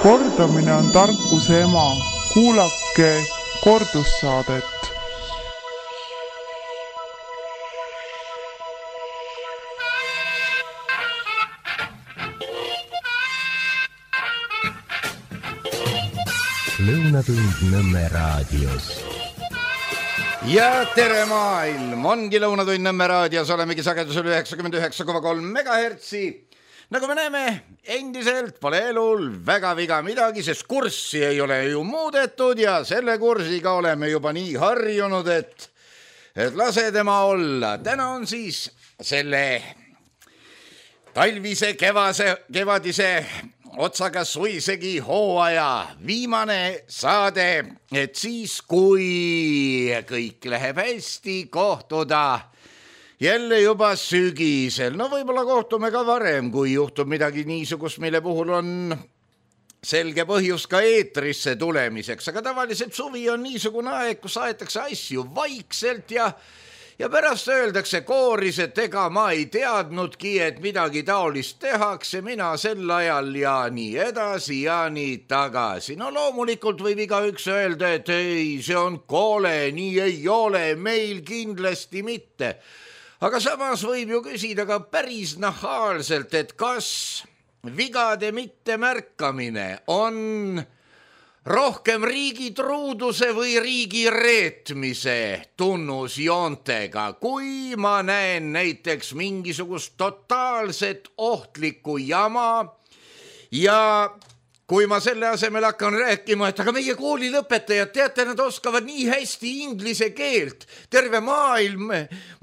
Kordamine on tarkuse ema. Kuulake kordussaadet. Lõunatund Nõmme raadios. Ja tere maailm, ongi Lõunatund Nõmme raadios, olemegi sagedusel 99,3 megahertsi. Nagu me näeme, endiselt pole elul väga viga midagi, sest kurssi ei ole ju muudetud ja selle kursiga oleme juba nii harjunud, et lase tema olla. Täna on siis selle talvise, kevadise otsaga suisegi hooaja viimane saade, et siis kui kõik läheb hästi, kohtuda jälle juba sügisel. No võib-olla kohtume ka varem, kui juhtub midagi niisugust, mille puhul on selge põhjus ka eetrisse tulemiseks. Aga tavaliselt suvi on niisugune aeg, kus aetakse asju vaikselt ja pärast öeldakse kooris, et ega ma ei teadnudki, et midagi taolist tehakse, mina sel ajal ja nii edasi ja nii tagasi. No loomulikult võib igaüks öelda, et ei, see on kole, nii ei ole, meil kindlasti mitte. Aga samas võib ju küsida ka päris nahaalselt, et kas vigade mittemärkamine on rohkem riigi truuduse või riigi reetmise tunnusjoontega, kui ma näen näiteks mingisugust totaalset ohtlikku jama ja kui ma selle asemel hakkan rääkima, et aga meie koolilõpetajad, teate, nad oskavad nii hästi inglise keelt. Terve maailm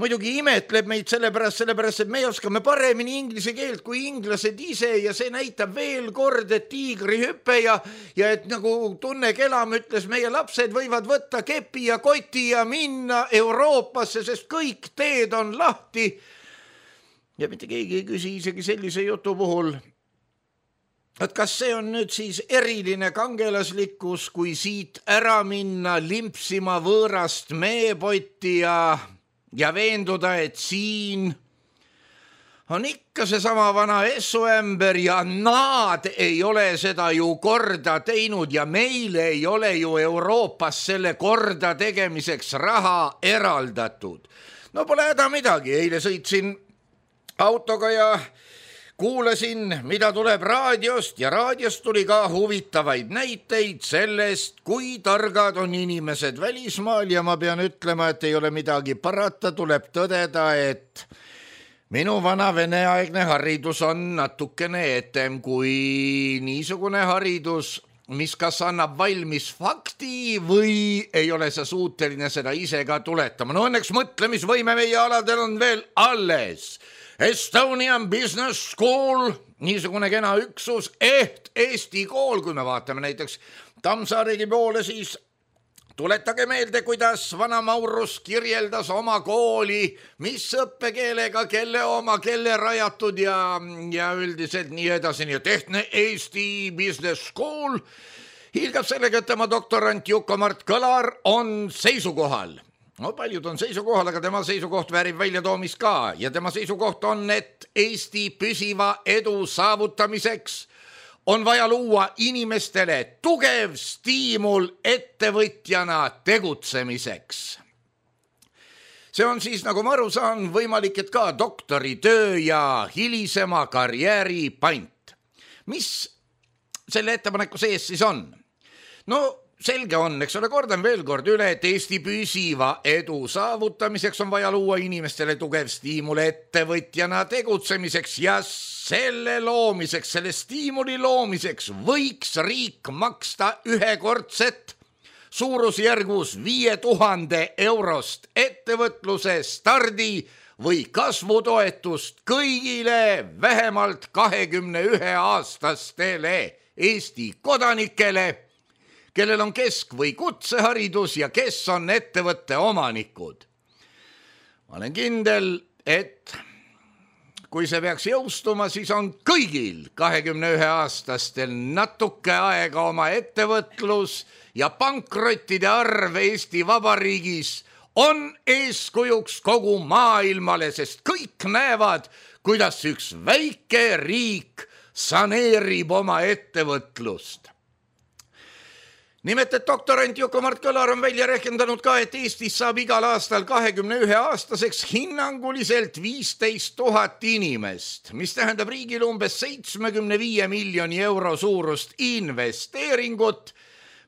muidugi imetleb meid sellepärast, et me oskame paremini inglise keelt kui inglased ise ja see näitab veel kord, et tiigrihüpe ja et nagu Tunne Kelam ütles, meie lapsed võivad võtta kepi ja koti ja minna Euroopasse, sest kõik teed on lahti. Ja mitte keegi ei küsi isegi sellise jutu puhul, et kas see on nüüd siis eriline kangelaslikkus, kui siit ära minna limpsima võõrast meepotti ja veenduda, et siin on ikka seesama vana essuämber ja nad ei ole seda ju korda teinud ja meile ei ole ju Euroopas selle korda tegemiseks raha eraldatud. No pole häda midagi, eile sõitsin autoga ja kuulasin, mida tuleb raadiost ja raadiost tuli ka huvitavaid näiteid sellest, kui targad on inimesed välismaal ja ma pean ütlema, et ei ole midagi parata, tuleb tõdeda, et minu vana veneaegne haridus on natukene etem kui niisugune haridus, mis kas annab valmis fakti või ei ole sa suuteline seda ise ka tuletama. No õnneks mõtlemisvõime meie aladel on veel alles. Estonian Business School, niisugune kena üksus, Eesti kool, kui me vaatame näiteks Tammsaaregi poole, siis tuletage meelde, kuidas vana Maurus kirjeldas oma kooli, mis õppekeelega, kelle oma, kelle rajatud ja üldiselt nii edasi. Nii et ehtne Eesti Business School hiilgab sellega, et tema doktorant Juko-Mart Kõlar on seisukohal. No paljud on seisukohal, aga tema seisukoht väärib väljatoomist ka ja tema seisukoht on, et Eesti püsiva edu saavutamiseks on vaja luua inimestele tugev stiimul ettevõtjana tegutsemiseks. See on siis, nagu ma aru saan, võimalik, et ka doktoritöö ja hilisema karjääri pant. Mis selle ettepaneku sees siis on? No selge on, eks ole, kordan veel kord üle, et Eesti püsiva edu saavutamiseks on vaja luua inimestele tugev stiimul ettevõtjana tegutsemiseks ja selle loomiseks, selle stiimuli loomiseks võiks riik maksta ühekordset suurusjärgus 5000 eurost ettevõtluse stardi või kasvutoetust kõigile vähemalt 21-aastastele Eesti kodanikele, kellel on kesk- või kutseharidus ja kes on ettevõtte omanikud. Ma olen kindel, et kui see peaks jõustuma, siis on kõigil 21-aastastel natuke aega oma ettevõtlus ja pankrottide arv Eesti Vabariigis on eeskujuks kogu maailmale, sest kõik näevad, kuidas üks väike riik saneerib oma ettevõtlust. Nimelt, et doktorant Juku-Mart Kõlar on välja rehkendanud ka, et Eestis saab igal aastal 21-aastaseks hinnanguliselt 15 000 inimest, mis tähendab riigile umbes 75 miljoni euro suurust investeeringut,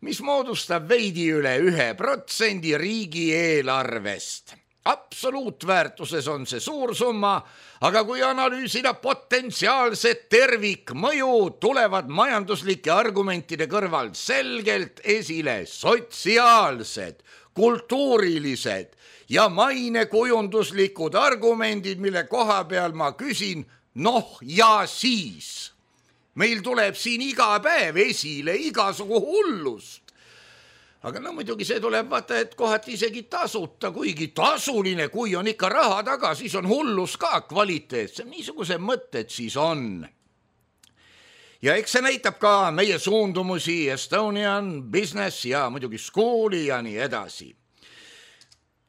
mis moodustab veidi üle 1% riigieelarvest. Absoluutväärtuses on see suur summa, aga kui analüüsida potentsiaalset tervikmõju, tulevad majanduslike argumentide kõrval selgelt esile sotsiaalsed, kultuurilised ja mainekujunduslikud argumendid, mille koha peal ma küsin, ja siis. Meil tuleb siin iga päev esile igasugu hullust. Aga muidugi see tuleb vaata, et kohati isegi tasuta, kuigi tasuline, kui on ikka raha taga, siis on hullus ka kvaliteetsem. Niisuguse mõtted siis on. Ja eks see näitab ka meie suundumusi Estonian Business ja muidugi Schooli ja nii edasi.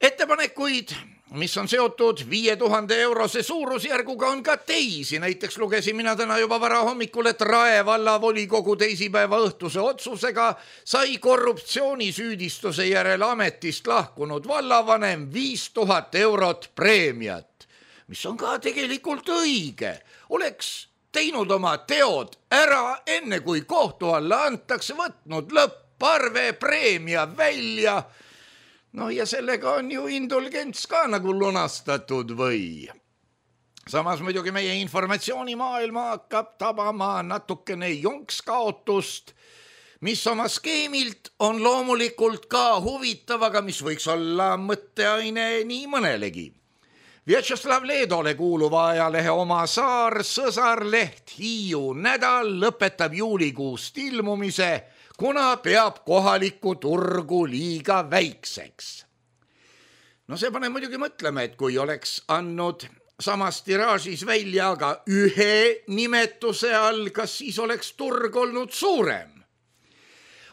Ettepanekuid, mis on seotud 5000 eurose suurusjärguga, on ka teisi. Näiteks lugesin mina täna juba vara hommikul, et Rae vallavolikogu teisipäeva õhtuse otsusega sai korruptsioonisüüdistuse järel ametist lahkunud vallavanem 5000 eurot preemiat, mis on ka tegelikult õige. Oleks teinud oma teod ära enne, kui kohtu alla antakse, võtnud lõpparve preemia välja. Ja sellega on ju indulgents ka nagu lunastatud või. Samas muidugi meie informatsioonimaailma hakkab tabama natukene jonkskaotust, mis oma skeemilt on loomulikult ka huvitav, aga mis võiks olla mõtteaine nii mõnelegi. Vjatšeslav Leedole kuuluva ajalehe Oma Saar sõsarleht Hiiu nädal lõpetab juulikuust ilmumise, kuna peab kohalikku turgu liiga väikseks. See paneb muidugi mõtlema, et kui oleks andnud samas tiraažis välja aga ühe nimetuse all, kas siis oleks turg olnud suurem?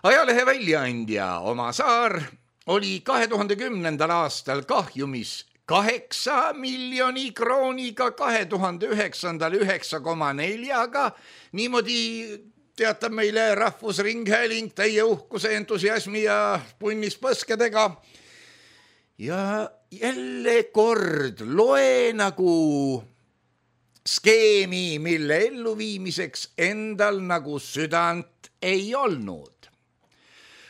Ajalehe väljaandja Oma Saar oli 2010. aastal kahjumis 8 miljoni krooniga, 2009. 9,4, niimoodi teatab meile Rahvusringhääling täie uhkuse, entusiasmi ja punnis põskedega. Ja jälle kord loe nagu skeemi, mille elluviimiseks endal nagu südant ei olnud.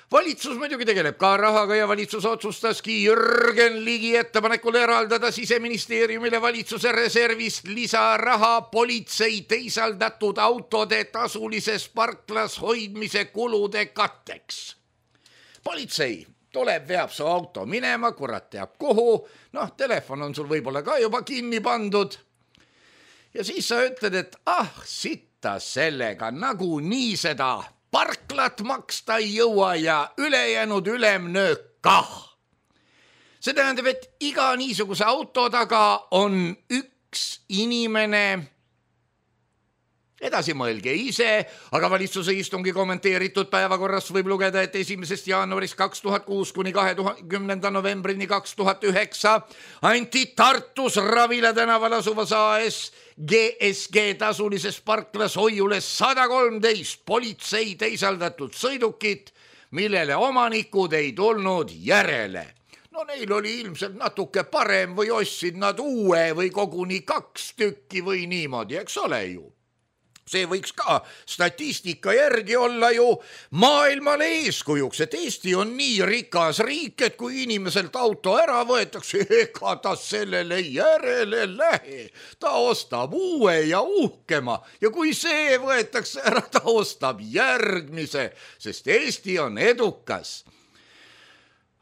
Valitsus muidugi tegeleb ka rahaga ja valitsus otsustaski Jürgen Ligi ettepanekul eraldada Siseministeeriumile valitsuse reservist lisaraha politsei teisaldatud autode tasulises parklas hoidmise kulude katteks. Politsei tuleb, veab su auto minema, kurat teab kuhu, telefon on sul võib-olla ka juba kinni pandud. Ja siis sa ütled, et sitta sellega, nagu nii seda parklat maksta ei jõua ja ülejäänud ülemnöök kah. See tähendab, et iga niisuguse auto taga on üks inimene. Edasi mõelge ise, aga valitsuse istungi kommenteeritud päevakorrast võib lugeda, et 1. jaanuarist 2006 kuni 20. novembrini 2009 anti Tartus Ravila tänaval asuvas AS GSG tasulises parklas hoiule 113 politsei teisaldatud sõidukit, millele omanikud ei tulnud järele. Neil oli ilmselt natuke parem või ostsid nad uue või koguni 2 tükki või niimoodi, eks ole ju. See võiks ka statistika järgi olla ju maailmale eeskujuks, et Eesti on nii rikas riik, et kui inimeselt auto ära võetakse, ega ta sellele järele lähe. Ta ostab uue ja uhkema ja kui see võetakse ära, ta ostab järgmise, sest Eesti on edukas.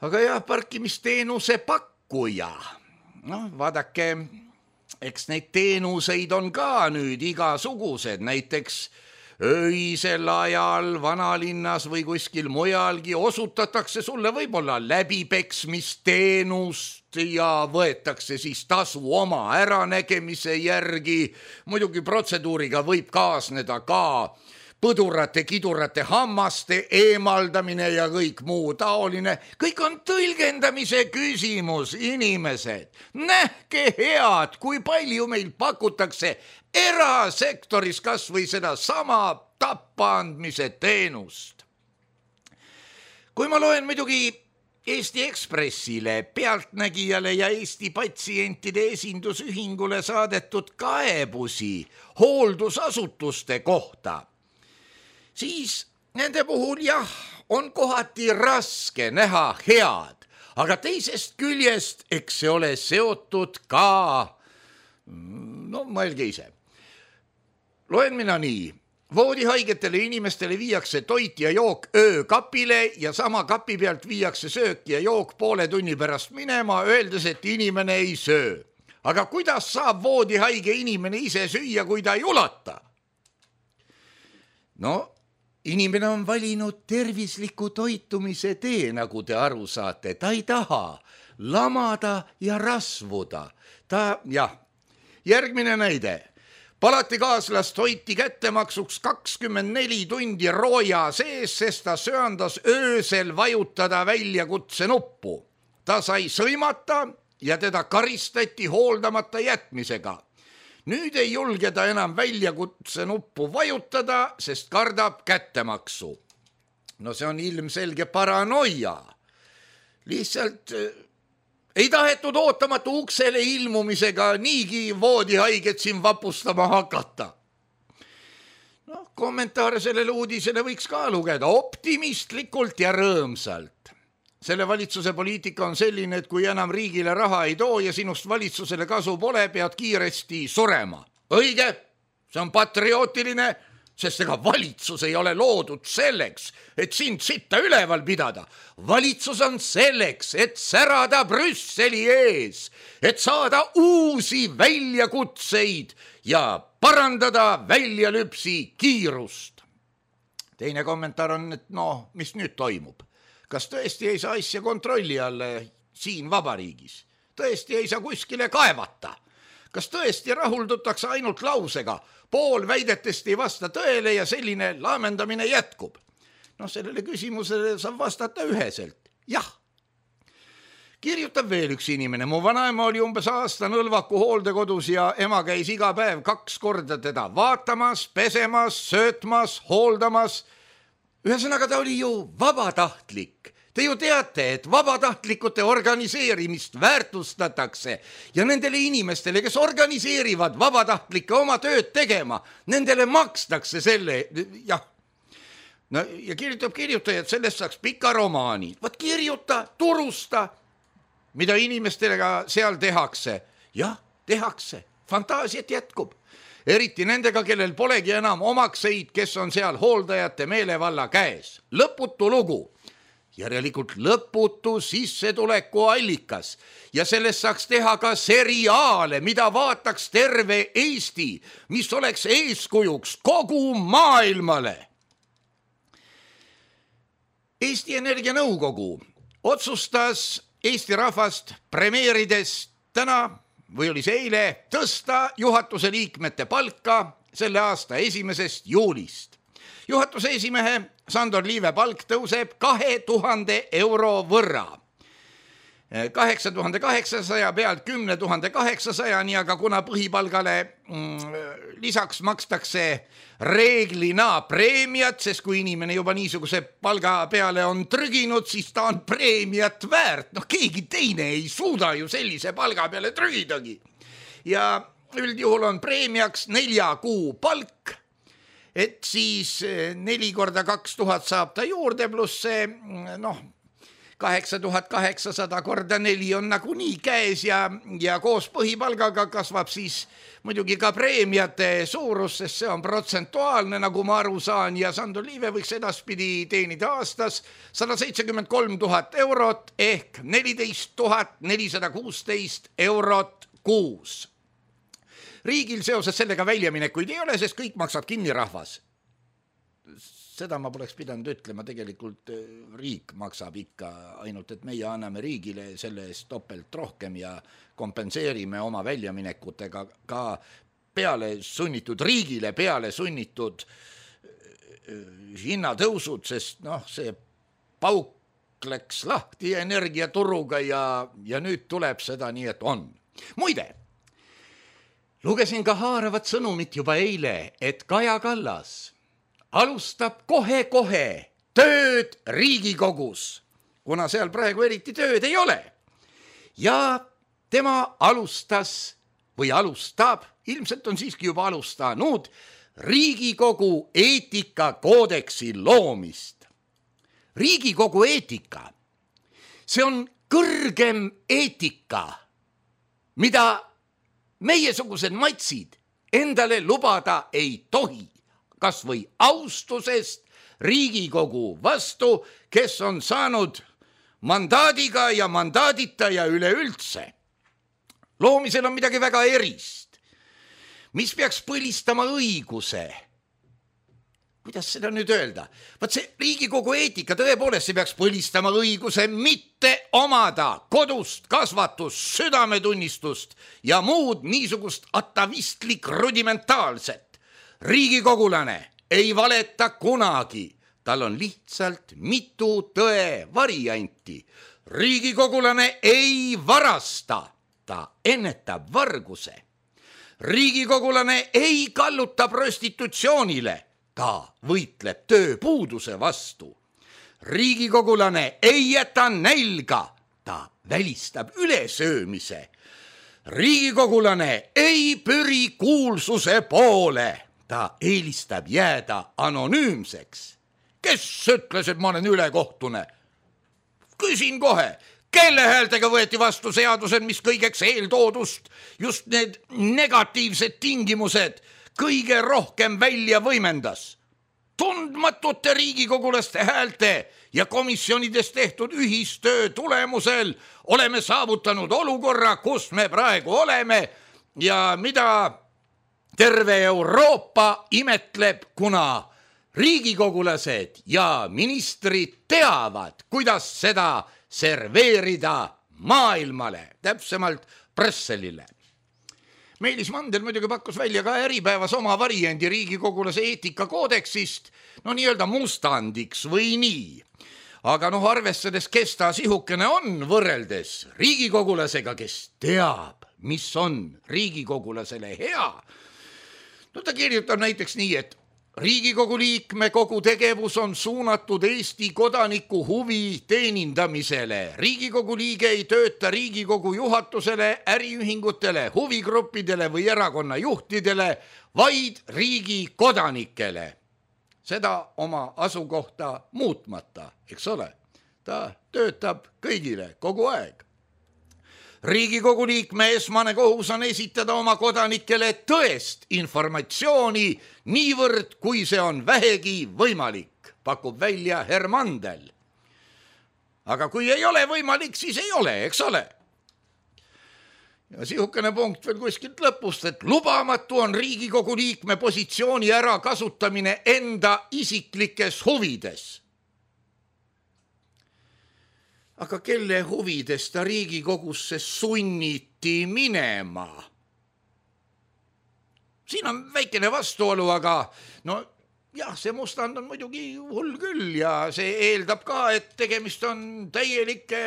Aga jah, parkimisteenuse pakkuja. Vaadake, eks neid teenuseid on ka nüüd igasugused, näiteks öisel ajal vanalinnas või kuskil mujalgi osutatakse sulle võib-olla läbipeksmisteenust ja võetakse siis tasu oma äranägemise järgi. Muidugi protseduuriga võib kaasneda ka põdurate, kidurate hammaste eemaldamine ja kõik muu taoline. Kõik on tõlgendamise küsimus, inimesed. Nähke head, kui palju meil pakutakse erasektoris kas või seda sama tappaandmise teenust. Kui ma loen muidugi Eesti Ekspressile, Pealtnägijale ja Eesti patsientide esindusühingule saadetud kaebusi hooldusasutuste kohta, siis nende puhul jah, on kohati raske näha head, aga teisest küljest, eks see ole seotud ka, no mõelge ise. Loen mina nii. Voodihaigetele inimestele viiakse toit ja jook öökapile ja sama kapi pealt viiakse söök ja jook poole tunni pärast minema, öeldes, et inimene ei söö. Aga kuidas saab voodihaige inimene ise süüa, kui ta ei ulata? No, inimene on valinud tervisliku toitumise tee, nagu te aru saate. Ta ei taha lamada ja rasvuda. Järgmine näide. Palatikaaslast hoiti kättemaksuks 24 tundi rooja sees, sest ta söandas öösel vajutada väljakutse nuppu. Ta sai sõimata ja teda karistati hooldamata jätmisega. Nüüd ei julge ta enam väljakutse nuppu vajutada, sest kardab kättemaksu. No see on ilmselge paranoia. Lihtsalt ei tahetud ootamatu uksele ilmumisega niigi voodihaiget siin vapustama hakata. No, kommentaare sellele uudisele võiks ka lugeda optimistlikult ja rõõmsalt. Selle valitsuse poliitika on selline, et kui enam riigile raha ei too ja sinust valitsusele kasu pole, pead kiiresti surema. Õige, see on patriootiline, sest ega valitsus ei ole loodud selleks, et sind sitta üleval pidada. Valitsus on selleks, et särada Brüsseli ees, et saada uusi väljakutseid ja parandada väljalüpsi kiirust. Teine kommentaar on, et mis nüüd toimub? Kas tõesti ei saa asja kontrolli alla siin vabariigis? Tõesti ei saa kuskile kaevata? Kas tõesti rahuldutakse ainult lausega? Pool väidetest ei vasta tõele ja selline laamendamine jätkub. Sellele küsimusele saab vastata üheselt. Jah. Kirjutab veel üks inimene. Mu vanaema oli umbes aasta Nõlvaku hooldekodus ja ema käis iga päev 2 korda teda vaatamas, pesemas, söötmas, hooldamas. Ühesõnaga ta oli ju vabatahtlik. Te ju teate, et vabatahtlikute organiseerimist väärtustatakse ja nendele inimestele, kes organiseerivad vabatahtlike oma tööd tegema, nendele makstakse selle, jah. No, ja kirjutajad, sellest saaks pika romaani. Vaat kirjuta, turusta, mida inimestega seal tehakse. Jah, tehakse. Fantaasiat jätkub. Eriti nendega, kellel polegi enam omakseid, kes on seal hooldajate meelevalla käes. Lõputu lugu. Järelikult lõputu sissetuleku allikas ja sellest saaks teha ka seriaale, mida vaataks terve Eesti, mis oleks eeskujuks kogu maailmale. Eesti Energia Nõukogu otsustas Eesti rahvast premeerides täna või oli see eile tõsta juhatuse liikmete palka selle aasta 1. juulist. Juhatuse esimehe Sandor Liive palk tõuseb 2000 euro võrra. 8800 pealt 10 800, aga kuna põhipalgale lisaks makstakse reeglina preemiat, sest kui inimene juba niisuguse palga peale on trüginud, siis ta on preemiat väärt. Keegi teine ei suuda ju sellise palga peale trügidagi. Ja üldjuhul on preemiaks 4 kuu palk, et siis 4 korda 2000 saab ta juurde, pluss see 8800 korda 4 on nagunii käes ja koos põhipalgaga kasvab siis muidugi ka preemiate suurus, sest see on protsentuaalne, nagu ma aru saan, ja Sandor Liive võiks edaspidi teenida aastas 173 000 eurot ehk 14 416 eurot kuus. Riigil seoses sellega väljaminekuid ei ole, sest kõik maksab kinni rahvas. Seda ma poleks pidanud ütlema, tegelikult riik maksab ikka, ainult et meie anname riigile selle eest topelt rohkem ja kompenseerime oma väljaminekutega ka peale sunnitud riigile, peale sunnitud hinnatõusud, sest see pauk läks lahti energiaturuga ja nüüd tuleb seda nii, et on. Muide, lugesin ka haaravat sõnumit juba eile, et Kaja Kallas alustab kohe-kohe tööd Riigikogus, kuna seal praegu eriti tööd ei ole. Ja tema alustas või alustab, ilmselt on siiski juba alustanud, Riigikogu eetikakoodeksi loomist. Riigikogu eetika, see on kõrgem eetika, mida meiesugused matsid endale lubada ei tohi, kas või austusest Riigikogu vastu, kes on saanud mandaadiga ja mandaadita ja üleüldse. Loomisel on midagi väga erist, mis peaks põlistama õiguse. Kuidas seda nüüd öelda? Vaat see Riigikogu eetika tõepoolest see peaks põlistama õiguse mitte omada kodust kasvatust, südametunnistust ja muud niisugust atavistlik rudimentaalset. Riigikogulane ei valeta kunagi, tal on lihtsalt mitu tõe varianti. Riigikogulane ei varasta, ta ennetab varguse. Riigikogulane ei kalluta prostitutsioonile, ta võitleb tööpuuduse vastu. Riigikogulane ei jäta nälga, ta välistab ülesöömise. Riigikogulane ei püri kuulsuse poole, ta eelistab jääda anonüümseks. Kes ütles, et ma olen ülekohtune? Küsin kohe, kelle häältega võeti vastu seadused, mis kõigeks eeltoodust, just need negatiivsed tingimused kõige rohkem välja võimendas? Tundmatute riigikogulaste häälte ja komisjonides tehtud ühistöö tulemusel oleme saavutanud olukorra, kus me praegu oleme ja mida terve Euroopa imetleb, kuna riigikogulased ja ministrid teavad, kuidas seda serveerida maailmale, täpsemalt Brüsselile. Meelis Mandel muidugi pakkus välja ka Äripäevas oma variandi riigikogulase eetikakoodeksist, nii-öelda mustandiks või nii. Aga arvestades, kes ta sihukene on võrreldes riigikogulasega, kes teab, mis on riigikogulasele hea. Ta kirjutab näiteks nii, et Riigikogu liikme kogu tegevus on suunatud Eesti kodaniku huvi teenindamisele. Riigikogu liige ei tööta Riigikogu juhatusele, äriühingutele, huvigruppidele või erakonna juhtidele, vaid riigi kodanikele. Seda oma asukohta muutmata, eks ole. Ta töötab kõigile kogu aeg. Riigikogu liikme esmane kohus on esitada oma kodanikele tõest informatsiooni niivõrd, kui see on vähegi võimalik, pakub välja Hermandel. Aga kui ei ole võimalik, siis ei ole, eks ole. Ja sihukene punkt veel kuskilt lõpust, et lubamatu on Riigikogu liikme positsiooni ära kasutamine enda isiklikes huvides. Aga kelle huvides ta Riigikogusse sunniti minema? Siin on väikene vastuolu, aga see mustand on muidugi hull küll ja see eeldab ka, et tegemist on täielike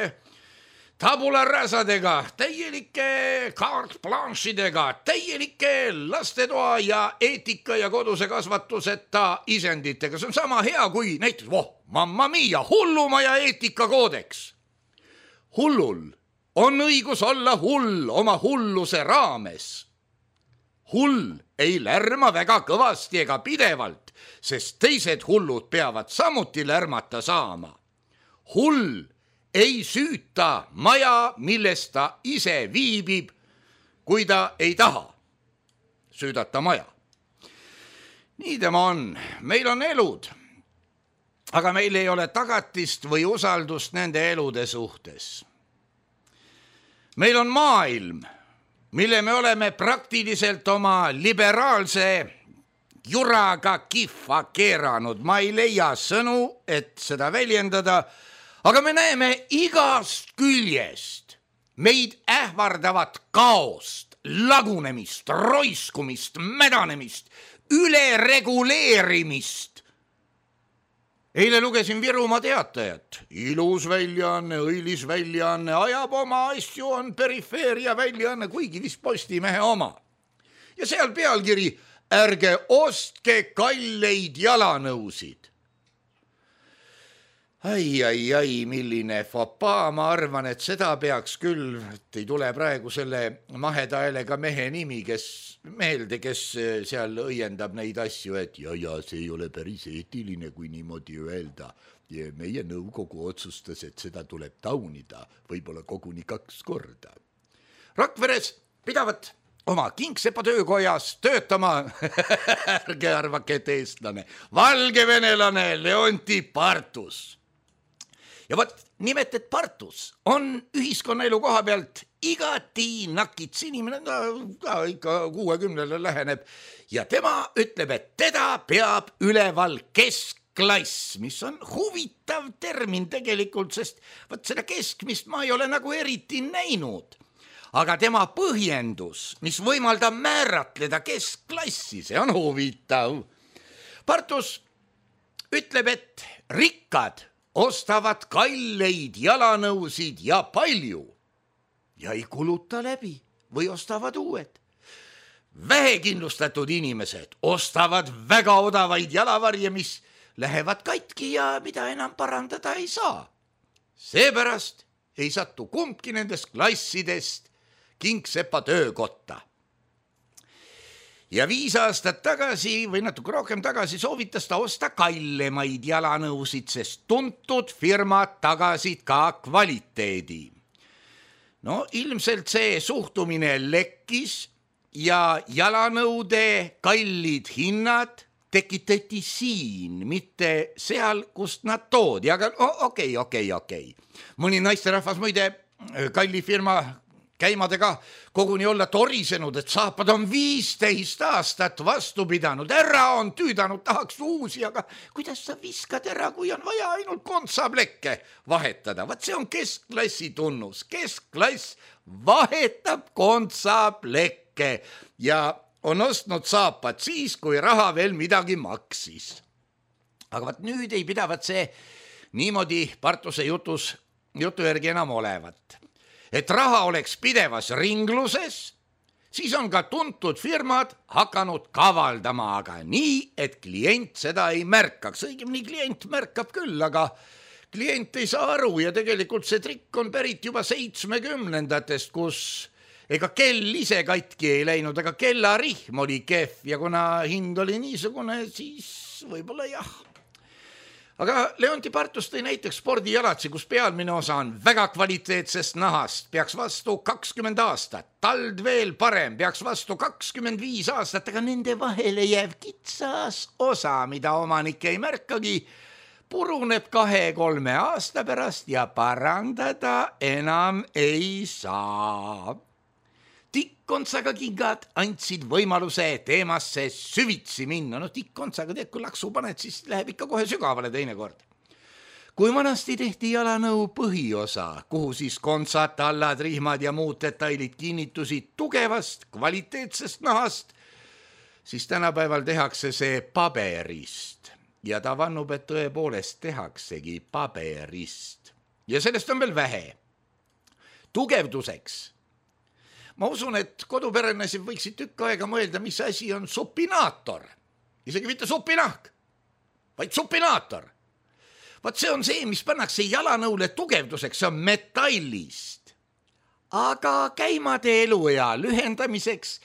tabularasadega, täielike carte blanchidega, täielike lastetoa ja eetika ja koduse kasvatuseta isenditega. See on sama hea kui näiteks, mamma mia, hullumaja eetikakoodeks. Hullul on õigus olla hull oma hulluse raames. Hull ei lärma väga kõvasti ega pidevalt, sest teised hullud peavad samuti lärmata saama. Hull ei süüta maja, milles ta ise viibib, kui ta ei taha süüdata maja. Nii tema on. Meil on elud, aga meil ei ole tagatist või usaldust nende elude suhtes. Meil on maailm, mille me oleme praktiliselt oma liberaalse juraga kihva keeranud. Ma ei leia sõnu, et seda väljendada, aga me näeme igast küljest meid ähvardavat kaost, lagunemist, roiskumist, mädanemist, ülereguleerimist Eile lugesin Virumaa Teatajat. Ilus väljaanne, õilis väljaanne, ajab oma asju, on perifeeria väljaanne, kuigi vist Postimehe oma. Ja seal pealkiri, ärge ostke kalleid jalanõusid. Ai, milline fopaa, ma arvan, et seda peaks küll, et ei tule praegu selle maheda häälega mehe nimi, kes seal õiendab neid asju, et ja see ei ole päris eetiline, kui niimoodi öelda. Ja meie nõukogu otsustas, et seda tuleb taunida, võib-olla koguni 2 korda. Rakveres pidavat oma Kingsepa töökojas töötama, ärge arvake, et eestlane, valgevenelane Leonti Partus. Ja võt nimet, et Partus on ühiskonnaelu koha pealt igati nakits inimene, ta ikka 60-le läheneb ja tema ütleb, et teda peab üleval keskklass, mis on huvitav termin tegelikult, sest võt seda keskmist ma ei ole nagu eriti näinud. Aga tema põhjendus, mis võimaldab määratleda keskklassi, see on huvitav. Partus ütleb, et rikkad ostavad kalleid jalanõusid ja palju ja ei kuluta läbi või ostavad uued. Vähekindlustatud inimesed ostavad väga odavaid jalavarje, mis lähevad katki ja mida enam parandada ei saa. Seepärast ei satu kumbki nendest klassidest Kingsepa töökotta. Ja 5 aastat tagasi või natuke rohkem tagasi soovitas ta osta kallemaid jalanõusid, sest tuntud firmad tagasid ka kvaliteedi. No ilmselt see suhtumine lekkis ja jalanõude kallid hinnad tekitati siin, mitte seal, kust nad toodi, aga okei. Mõni naisterahvas muide kalli firma käimadega koguni olla torisenud, et saapad on 15 aastat vastu pidanud, ära on tüüdanud, tahaks uusi, aga kuidas sa viskad ära, kui on vaja ainult kontsaplekke vahetada? Vaat see on keskklassi tunnus, keskklass vahetab kontsaplekke ja on ostnud saapad siis, kui raha veel midagi maksis. Aga vaat nüüd ei pidavat see niimoodi Partuse jutu järgi enam olevat. Et raha oleks pidevas ringluses, siis on ka tuntud firmad hakanud kavaldama, aga nii, et klient seda ei märkaks. Õigemini klient märkab küll, aga klient ei saa aru ja tegelikult see trikk on pärit juba 70-ndatest, kus ega kell ise katki ei läinud, aga kellarihm oli kehv ja kuna hind oli niisugune, siis võib-olla jah. Aga Leonti Partus tõi näiteks spordijalatsi, kus pealmine osa on väga kvaliteetsest nahast, peaks vastu 20 aastat, tald veel parem, peaks vastu 25 aastat, aga nende vahele jääv kitsas osa, mida omanik ei märkagi, puruneb 2-3 aasta pärast ja parandada enam ei saa. Tikkontsaga kingad andsid võimaluse teemasse süvitsi minna. No tikkontsaga teed, kui laksu paned, siis läheb ikka kohe sügavale teinekord. Kui vanasti tehti jalanõu põhiosa, kuhu siis kontsad, tallad, rihmad ja muud detailid kinnitusid tugevast, kvaliteetsest nahast, siis tänapäeval tehakse see paberist. Ja ta vannub, et tõepoolest tehaksegi paberist. Ja sellest on veel vähe. Tugevduseks. Ma usun, et koduperenaised võiksid tükk aega mõelda, mis asi on supinaator. Isegi mitte supinahk, vaid supinaator. Vaat see on see, mis pannakse jalanõule tugevduseks, see on metallist. Aga käimade eluea lühendamiseks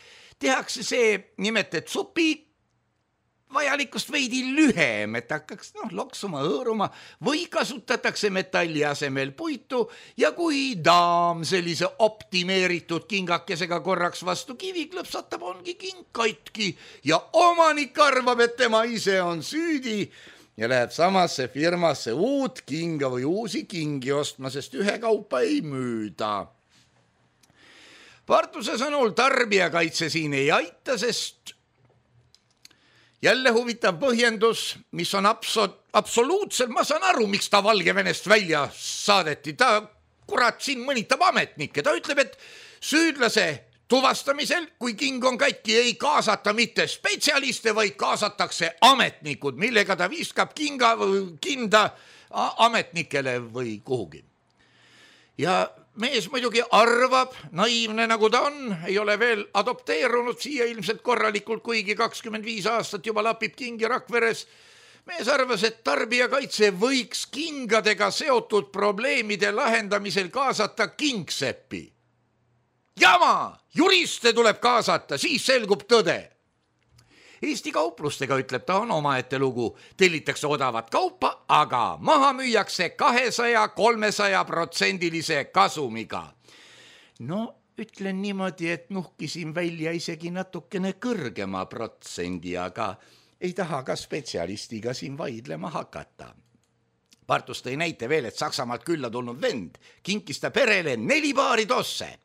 tehakse see nimet, et supi vajalikust veidi lühem, et hakkaks loksuma, hõõruma või kasutatakse metalli asemel puitu ja kui daam sellise optimeeritud kingakesega korraks vastu kivi klõpsatab, ongi king katki ja omanik arvab, et tema ise on süüdi ja läheb samasse firmasse uut kinga või uusi kingi ostma, sest ühe kaupa ei müüda. Partuse sõnul tarbijakaitse siin ei aita, sest jälle huvitav põhjendus, mis on absoluutselt, ma saan aru, miks ta Valgevenest välja saadeti. Ta kurat siin mõnitab ametnikke, ta ütleb, et süüdlase tuvastamisel, kui king on katki, ei kaasata mitte spetsialiste, vaid kaasatakse ametnikud, millega ta viskab kinda ametnikele või kuhugi. Ja mees muidugi arvab, naiivne nagu ta on, ei ole veel adopteerunud siia ilmselt korralikult, kuigi 25 aastat juba lapib kingi Rakveres. Mees arvas, et tarbijakaitse võiks kingadega seotud probleemide lahendamisel kaasata kingseppi. Jama! Juriste tuleb kaasata, siis selgub tõde. Eesti kauplustega, ütleb ta, on omaette lugu. Tellitakse odavat kaupa, aga maha müüakse 200-300% kasumiga. No, ütlen niimoodi, et nuhkisin välja isegi natukene kõrgema protsendi, aga ei taha ka spetsialistiga siin vaidlema hakata. Partus tõi näite veel, et Saksamaalt külla tulnud vend kinkis ta perele 4 paari tosse.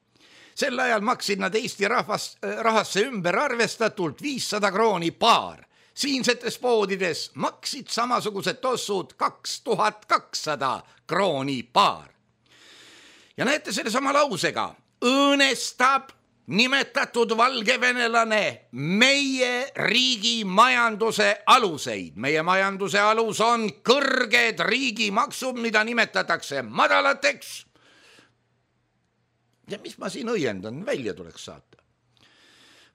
Sel ajal maksid nad Eesti rahasse ümber arvestatult 500 krooni paar. Siinsetes poodides maksid samasugused tossud 2200 krooni paar. Ja näete selle sama lausega, õõnestab nimetatud valgevenelane meie riigi majanduse aluseid. Meie majanduse alus on kõrged riigimaksud, mida nimetatakse madalateks. Ja mis ma siin õiendan, välja tuleks saata.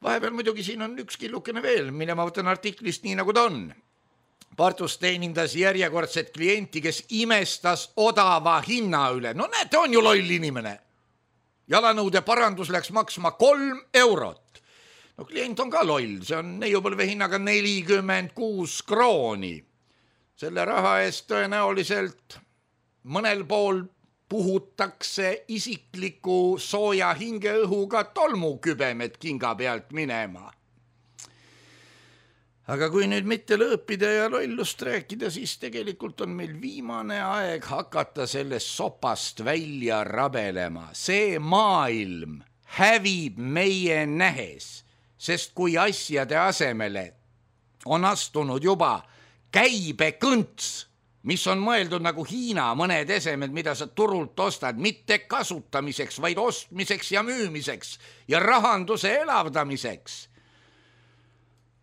Vahepeal muidugi siin on üks killukene veel, mille ma võtan artiklist nii nagu ta on. Partus teenindas järjekordset klienti, kes imestas odava hinna üle. No näete, on ju loll inimene. Jalanõude parandus läks maksma 3 eurot. No klient on ka loll, see on neiupõlve hinnaga 46 krooni. Selle raha eest tõenäoliselt mõnel pool puhutakse isikliku sooja hingeõhuga tolmukübemed kinga pealt minema. Aga kui nüüd mitte lõõpida ja lollust rääkida, siis tegelikult on meil viimane aeg hakata sellest sopast välja rabelema. See maailm hävib meie nähes, sest kui asjade asemele on astunud juba käibekõnts, mis on mõeldud nagu Hiina mõned esemed, mida sa turult ostad, mitte kasutamiseks, vaid ostmiseks ja müümiseks ja rahanduse elavdamiseks,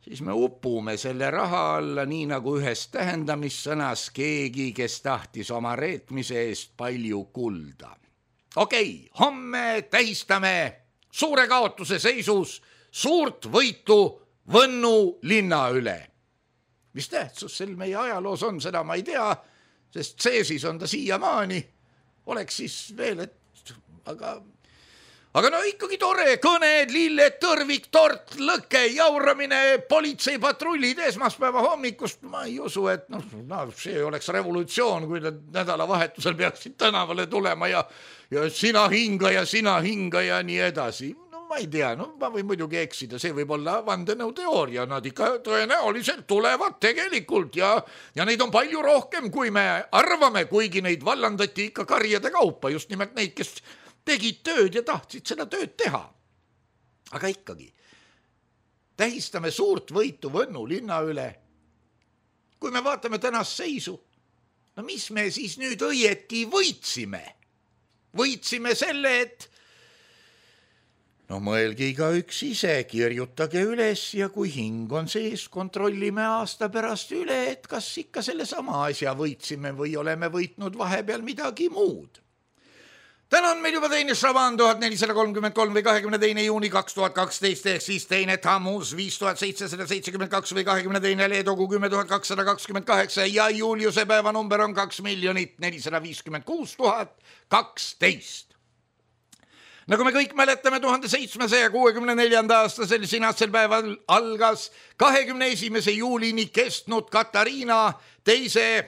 siis me upume selle raha alla nii nagu ühes tähendamissõnas keegi, kes tahtis oma reetmise eest palju kulda. Okei, homme tähistame suure kaotuse seisus suurt võitu Võnnu linna üle. Mis tähtsus sel meie ajaloos on, seda ma ei tea, sest seesis on ta siiamaani. Oleks siis veel, et aga no ikkagi tore, kõned, lilled, tõrvik, tort, lõke, jauramine, politseipatrullid esmaspäeva hommikust. Ma ei usu, et see oleks revolutsioon, kui nad nädalavahetusel peaksid tänavale tulema ja sina hinga ja nii edasi. No ma ei tea, ma võin muidugi eksida, see võib olla vandenõuteooria, nad ikka tõenäoliselt tulevad tegelikult ja neid on palju rohkem, kui me arvame, kuigi neid vallandati ikka karjade kaupa, just nimelt neid, kes tegid tööd ja tahtsid seda tööd teha. Aga ikkagi, tähistame suurt võitu Võnnu linna üle. Kui me vaatame tänast seisu, no mis me siis nüüd õieti võitsime? Võitsime selle, et mõelge iga üks ise, kirjutage üles ja kui hing on sees, kontrollime aasta pärast üle, et kas ikka selle sama asja võitsime või oleme võitnud vahepeal midagi muud. Täna on meil juba teine Šaban 1433 või 22. juuni 2012 ehk siis teine Tammuz 5772 või 22. Leedogu 10228 ja Juliuse päeva number on 2 456 012. Nagu me kõik mäletame, 1764. aastasel sinatsel päeval algas 21. juulini kestnud Katariina teise,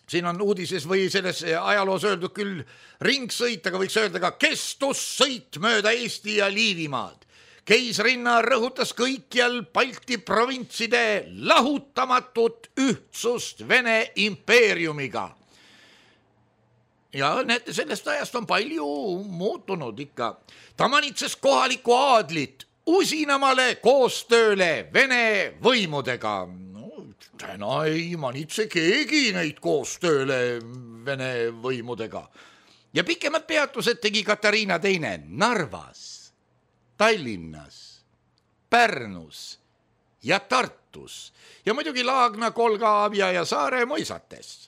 siin on uudises või selles ajaloos öeldud küll ringsõit, aga võiks öelda ka kestussõit mööda Eesti ja Liivimaad. Keisrinna rõhutas kõikjal Balti provintside lahutamatut ühtsust Vene impeeriumiga. Ja näete, sellest ajast on palju muutunud ikka. Ta manitses kohalikku aadlit usinamale koostööle Vene võimudega. Täna ei manitse keegi neid koostööle Vene võimudega. Ja pikemad peatused tegi Katariina teine Narvas. Tallinnas, Pärnus ja Tartus ja muidugi Laagna, Kolga, Abja ja Saare mõisates.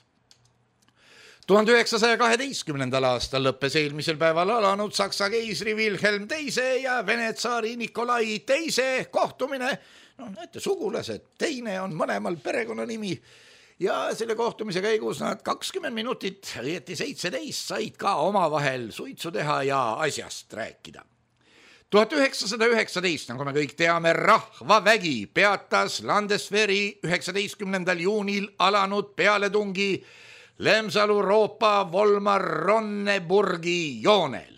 1912. aastal lõppes eelmisel päeval alanud Saksa keisri Wilhelm II ja Vene tsaari Nikolai II kohtumine. Näete, sugulased, teine on mõlemal perekonnanimi ja selle kohtumise käigus nad 20 minutit, õieti 17, said ka omavahel suitsu teha ja asjast rääkida. 1919, nagu me kõik teame, rahvavägi peatas Landeswehri 19. juunil alanud pealetungi Lemsalu-Roopa Volmar-Ronneburgi joonel.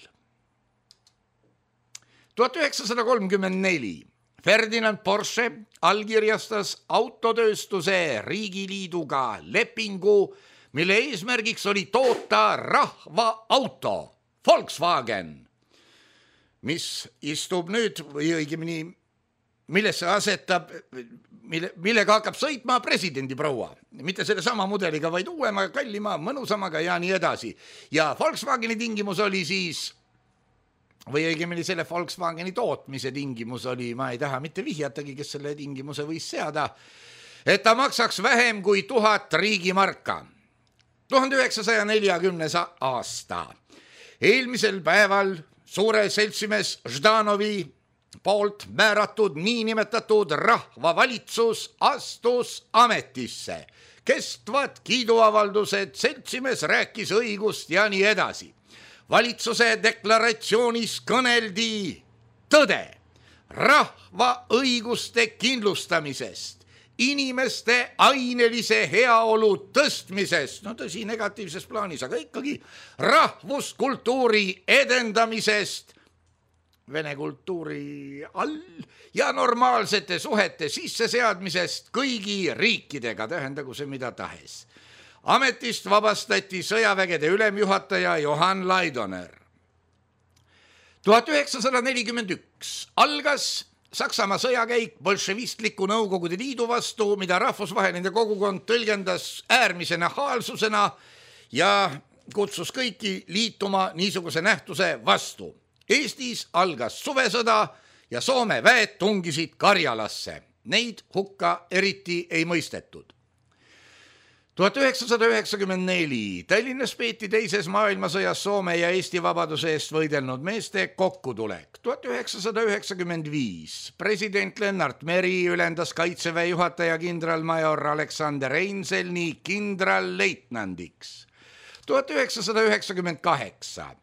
1934 Ferdinand Porsche allkirjastas autotööstuse riigiliiduga lepingu, mille eesmärgiks oli toota rahvaauto Volkswagen, mis istub nüüd või õigemini, millesse asetab, millega hakkab sõitma presidendi proua. Mitte selle sama mudeliga, vaid uuema, kallima, mõnusamaga ja nii edasi. Ja Volkswageni tingimus oli siis, või õigemini selle Volkswageni tootmise tingimus oli, ma ei taha mitte vihjatagi, kes selle tingimuse võis seada, et ta maksaks vähem kui 1000 riigimarka. 1940. aasta. Eelmisel päeval suure seltsimees Ždanovi poolt määratud niinimetatud rahvavalitsus astus ametisse. Kestvad kiiduavaldused, seltsimees rääkis õigust ja nii edasi. Valitsuse deklaratsioonis kõneldi tõde, rahva õiguste kindlustamisest, inimeste ainelise heaolu tõstmisest, tõsi negatiivses plaanis, aga ikkagi rahvuskultuuri edendamisest, vene kultuuri all ja normaalsete suhete sisseseadmisest kõigi riikidega, tähendagu see mida tahes. Ametist vabastati sõjavägede ülemjuhataja Johann Laidoner. 1941 algas Saksamaa sõjakäik bolševistliku Nõukogude Liidu vastu, mida rahvusvaheline kogukond tõlgendas äärmise nahaalsusena ja kutsus kõiki liituma niisuguse nähtuse vastu. Eestis algas suvesõda ja Soome väed tungisid Karjalasse. Neid hukka eriti ei mõistetud. 1994 Tallinnas peeti teises maailmasõjas Soome ja Eesti vabaduse eest võidelnud meeste kokkutulek. 1995 president Lennart Meri ülendas kaitseväe juhataja kindralmajor Aleksander Einselni kindralleitnandiks. 1998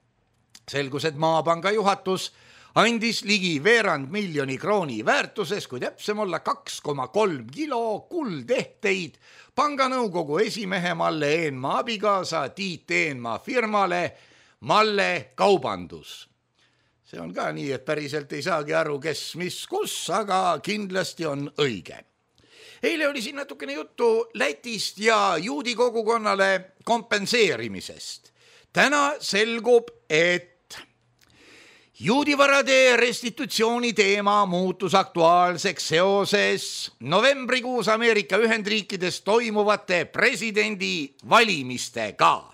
selgus, et Maapanga juhatus andis ligi veerand miljoni krooni väärtuses, kui täpsem olla 2,3 kilo kuldehteid panganõukogu esimehe Malle Eenmaa abikaasa Tiit Eenmaa firmale Malle Kaubandus. See on ka nii, et päriselt ei saagi aru, kes, mis, kus, aga kindlasti on õige. Eile oli siin natukene juttu Lätist ja juudi kogukonnale kompenseerimisest. Täna selgub, et juudivarade restitutsiooni teema muutus aktuaalseks seoses novembrikuus Ameerika Ühendriikides toimuvate presidendi valimistega.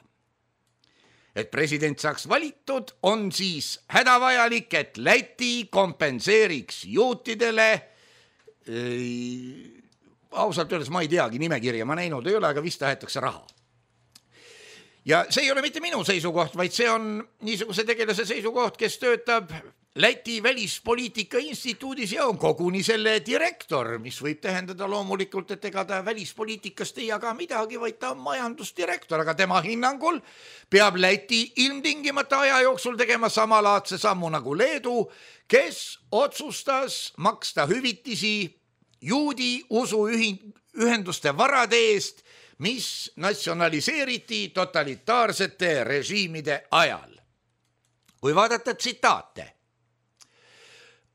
Et president saaks valitud, on siis hädavajalik, et Läti kompenseeriks juutidele, ausalt öeldes ma ei teagi nimekirja, ma näinud ei ole, aga vist tahetakse raha. Ja see ei ole mitte minu seisukoht, vaid see on niisuguse tegelase seisukoht, kes töötab Läti välispoliitika instituudis ja on koguni selle direktor, mis võib tähendada loomulikult, et ega ta välispoliitikast ei jaga midagi, vaid ta on majandusdirektor, aga tema hinnangul peab Läti ilmtingimata aja jooksul tegema samalaadse sammu nagu Leedu, kes otsustas maksta hüvitisi juudi usuühenduste varade eest, mis natsionaliseeriti totalitaarsete režiimide ajal. Kui vaadata tsitaate,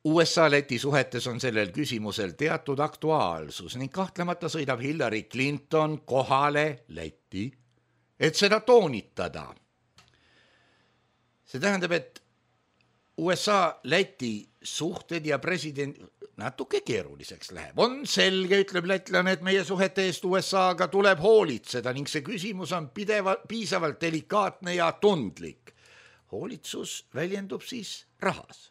USA-Läti suhetes on sellel küsimusel teatud aktuaalsus ning kahtlemata sõidab Hillary Clinton kohale Läti, et seda toonitada. See tähendab, et USA-Läti suhted ja president natuke keeruliseks läheb. On selge, ütleb lätlane, et meie suhete eest USA-ga tuleb hoolitseda ning see küsimus on piisavalt delikaatne ja tundlik. Hoolitsus väljendub siis rahas.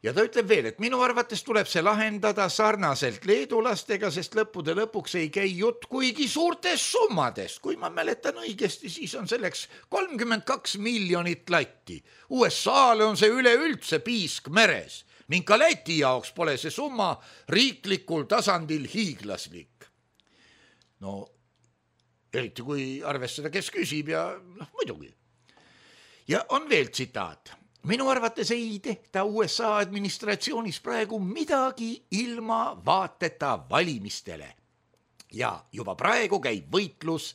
Ja ta ütleb veel, et minu arvates tuleb see lahendada sarnaselt leedulastega, sest lõppude lõpuks ei käi jutt kuigi suurtest summadest. Kui ma mäletan õigesti, siis on selleks 32 miljonit latti. USA-le on see üleüldse piisk meres ning ka Läti jaoks pole see summa riiklikul tasandil hiiglaslik. No, eriti kui arvestada, kes küsib ja muidugi. Ja on veel tsitaat. Minu arvates ei tehta USA administratsioonis praegu midagi ilma vaateta valimistele. Ja juba praegu käib võitlus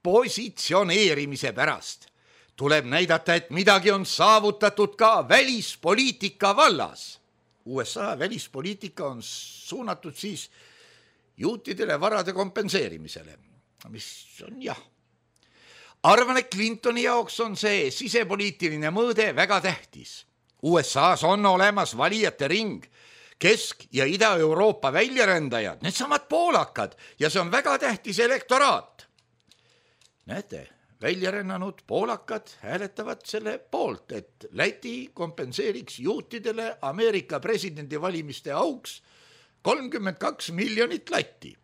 positsioneerimise pärast. Tuleb näidata, et midagi on saavutatud ka välispoliitika vallas. USA välispoliitika on suunatud siis juutidele varade kompenseerimisele, mis on jah. Arvan, et Clintoni jaoks on see sisepoliitiline mõõde väga tähtis. USAs on olemas valijate ring, Kesk- ja Ida-Euroopa väljarändajad, need samad poolakad ja see on väga tähtis elektoraat. Näete, väljarännanud poolakad hääletavad selle poolt, et Läti kompenseeriks juutidele Ameerika presidendivalimiste auks 32 miljonit latti.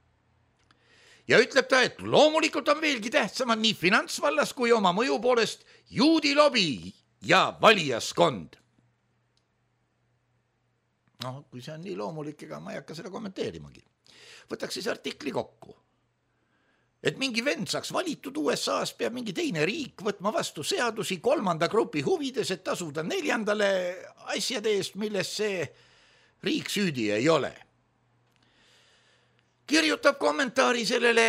Ja ütleb ta, et loomulikult on veelgi tähtsamad nii finantsvallas kui oma mõju poolest juudi lobi ja valijaskond. No, kui see on nii loomulik, ega ma ei hakka seda kommenteerimagi. Võtaks siis artikli kokku. Et mingi vend saaks valitud USAs, peab mingi teine riik võtma vastu seadusi 3. grupi huvides, et tasuda 4. asjade eest, milles see riik süüdi ei ole. Kirjutab kommentaari sellele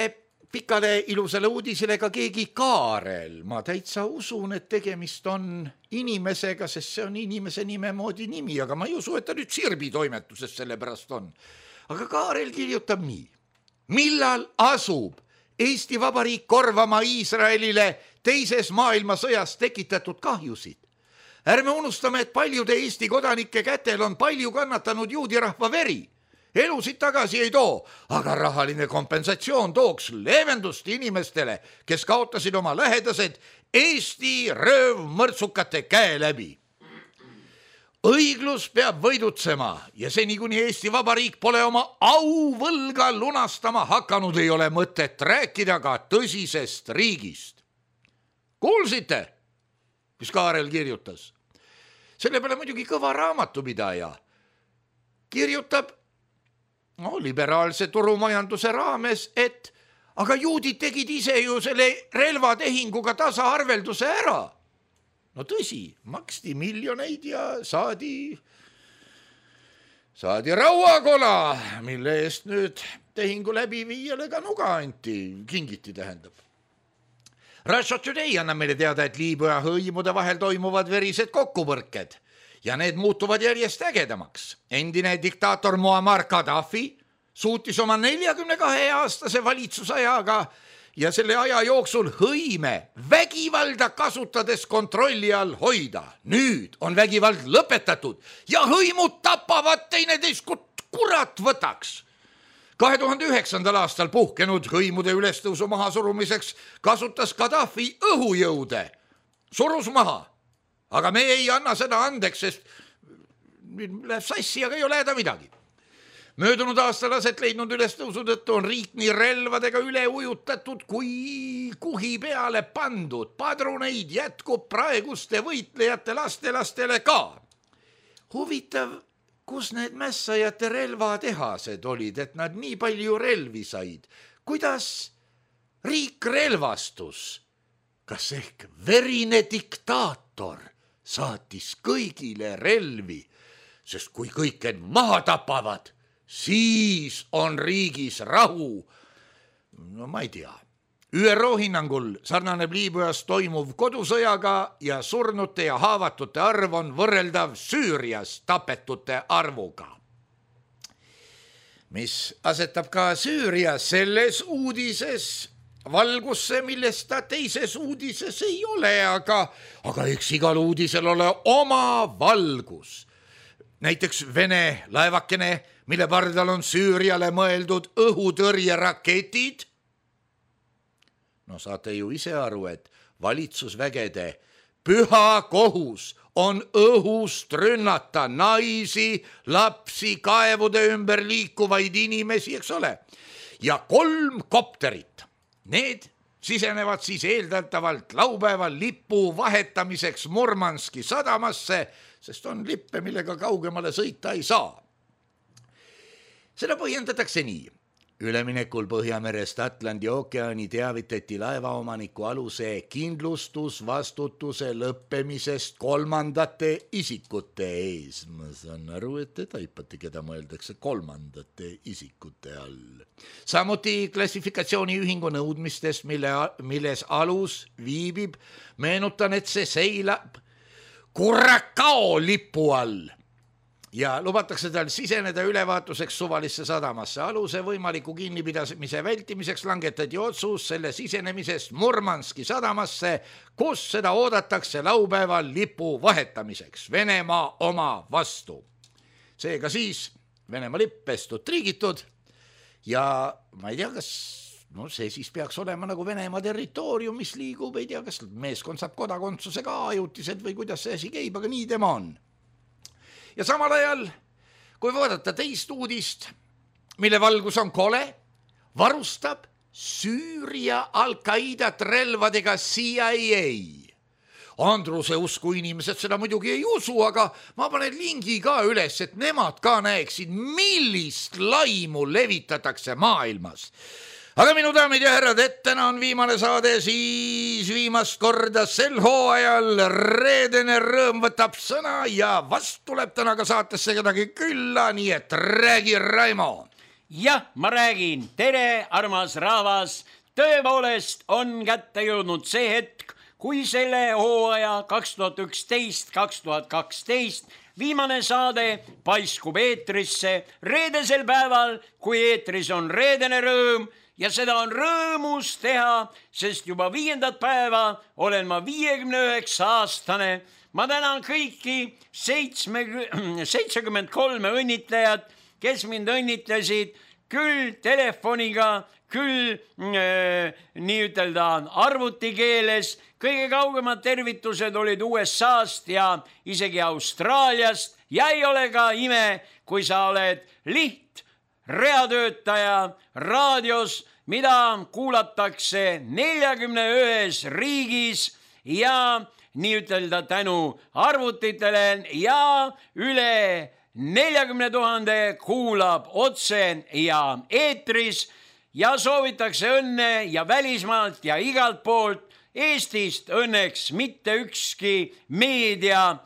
pikale ilusale uudisele ka keegi Kaarel. Ma täitsa usun, et tegemist on inimesega, sest see on inimese nime moodi nimi, aga ma ei usu, et ta nüüd Sirbi toimetuses selle pärast on. Aga Kaarel kirjutab nii. Millal asub Eesti Vabariik korvama Iisraelile teises maailmasõjas tekitatud kahjusid? Ärme unustame, et paljude Eesti kodanike kätel on palju kannatanud juudi rahva veri. Elusid tagasi ei too, aga rahaline kompensatsioon tooks leevendust inimestele, kes kaotasid oma lähedased Eesti röövmõrtsukate käe läbi. Õiglus peab võidutsema ja seni kuni Eesti Vabariik pole oma auvõlga lunastama hakanud, ei ole mõtet rääkida ka tõsisest riigist. Kuulsite, mis Kaarel kirjutas? Selle peale muidugi kõva raamatupidaja kirjutab liberaalse turumajanduse raames, et aga juudid tegid ise ju selle relvatehinguga tasaarvelduse ära. No tõsi, maksti miljoneid ja saadi rauakola, mille eest nüüd tehingu läbiviijale ka nuga anti, kingiti tähendab. Russia Today annab meile teada, et Liibüa hõimude vahel toimuvad verised kokkupõrked. Ja need muutuvad järjest ägedamaks. Endine diktaator Muammar Gaddafi suutis oma 42-aastase valitsusajaga ja selle aja jooksul hõime vägivalda kasutades kontrolli all hoida. Nüüd on vägivald lõpetatud ja hõimud tapavad teineteist, kurat võtaks. 2009. aastal puhkenud hõimude ülestõusu mahasurumiseks kasutas Gaddafi õhujõude. Surus maha. Aga me ei anna seda andeks, sest läheb sassi, aga ei ole häda midagi. Möödunud aastal aset leidnud ülestõusu tõttu on riik nii relvadega üle ujutatud kui kuhi peale pandud. Padruneid jätkub praeguste võitlejate lastelastele ka. Huvitav, kus need mässajate relvatehased olid, et nad nii palju relvi said? Kuidas riik relvastus? Kas ehk verine diktaator saatis kõigile relvi, sest kui kõik end maha tapavad, siis on riigis rahu. No ma ei tea. ÜRO hinnangul sarnaneb Liibüas toimuv kodusõjaga ja surnute ja haavatute arv on võrreldav Süürias tapetute arvuga. Mis asetab ka Süüria selles uudises valgusse, millest ta teises uudises ei ole, aga eks igal uudisel ole oma valgus. Näiteks Vene laevakene, mille pardal on Süüriale mõeldud õhutõrjeraketid. No saate ju ise aru, et valitsusvägede püha kohus on õhust rünnata naisi, lapsi, kaevude ümber liikuvaid inimesi, eks ole. Ja 3 kopterit, need sisenevad siis eeldatavalt laupäeval lipu vahetamiseks Murmanski sadamasse, sest on lippe, millega kaugemale sõita ei saa. Seda põhjendatakse nii. Üleminekul Põhjamerest Atlandi ookeani teavitati laevaomaniku aluse kindlustusvastutuse lõppemisest 3. isikute ees. Ma saan aru, et te taipate, keda mõeldakse 3. isikute all. Samuti klassifikatsiooniühingu nõudmistest, milles alus viibib, meenutan, et see seilab Curacao lipu all. Ja lubatakse tal siseneda ülevaatuseks suvalisse sadamasse. Aluse võimaliku kinnipidamise vältimiseks langetati otsus selle sisenemisest Murmanski sadamasse, kus seda oodatakse laupäeval lipu vahetamiseks Venemaa oma vastu. Seega siis Venemaa lipp pestud triigitud ja ma ei tea, kas see siis peaks olema nagu Venemaa territoorium, mis liigub, ei tea, kas meeskond saab kodakondsuse ka ajutised või kuidas see asi käib, aga nii tema on. Ja samal ajal, kui vaadata teist uudist, mille valgus on kole, varustab Süüria Al-Qaidat relvadega CIA. Andruse usku inimesed seda muidugi ei usu, aga ma panen lingi ka üles, et nemad ka näeksid, millist laimu levitatakse maailmas. Aga minu daamid ja härrad, et täna on viimane saade, siis viimast korda sel hooajal reedene rõõm võtab sõna ja vast tuleb täna ka saatesse kedagi külla, nii et räägi, Raimo. Jah, ma räägin. Tere, armas rahvas. Tõepoolest on kätte jõudnud see hetk, kui selle hooaja 2011-2012 viimane saade paiskub eetrisse reedesel päeval, kui eetris on reedene rõõm. Ja seda on rõõmus teha, sest juba 5. päeva olen ma 59-aastane. Ma tänan kõiki 73 õnnitlejat, kes mind õnnitlesid küll telefoniga, küll nii ütelda arvutikeeles. Kõige kaugemad tervitused olid USA-st ja isegi Austraaliast. Ja ei ole ka ime, kui sa oled reatöötaja raadios, mida kuulatakse 41 riigis ja nii ütelda tänu arvutitele ja üle 40 000 kuulab otse ja eetris ja soovitakse õnne ja välismaalt ja igalt poolt. Eestist õnneks mitte ükski meedia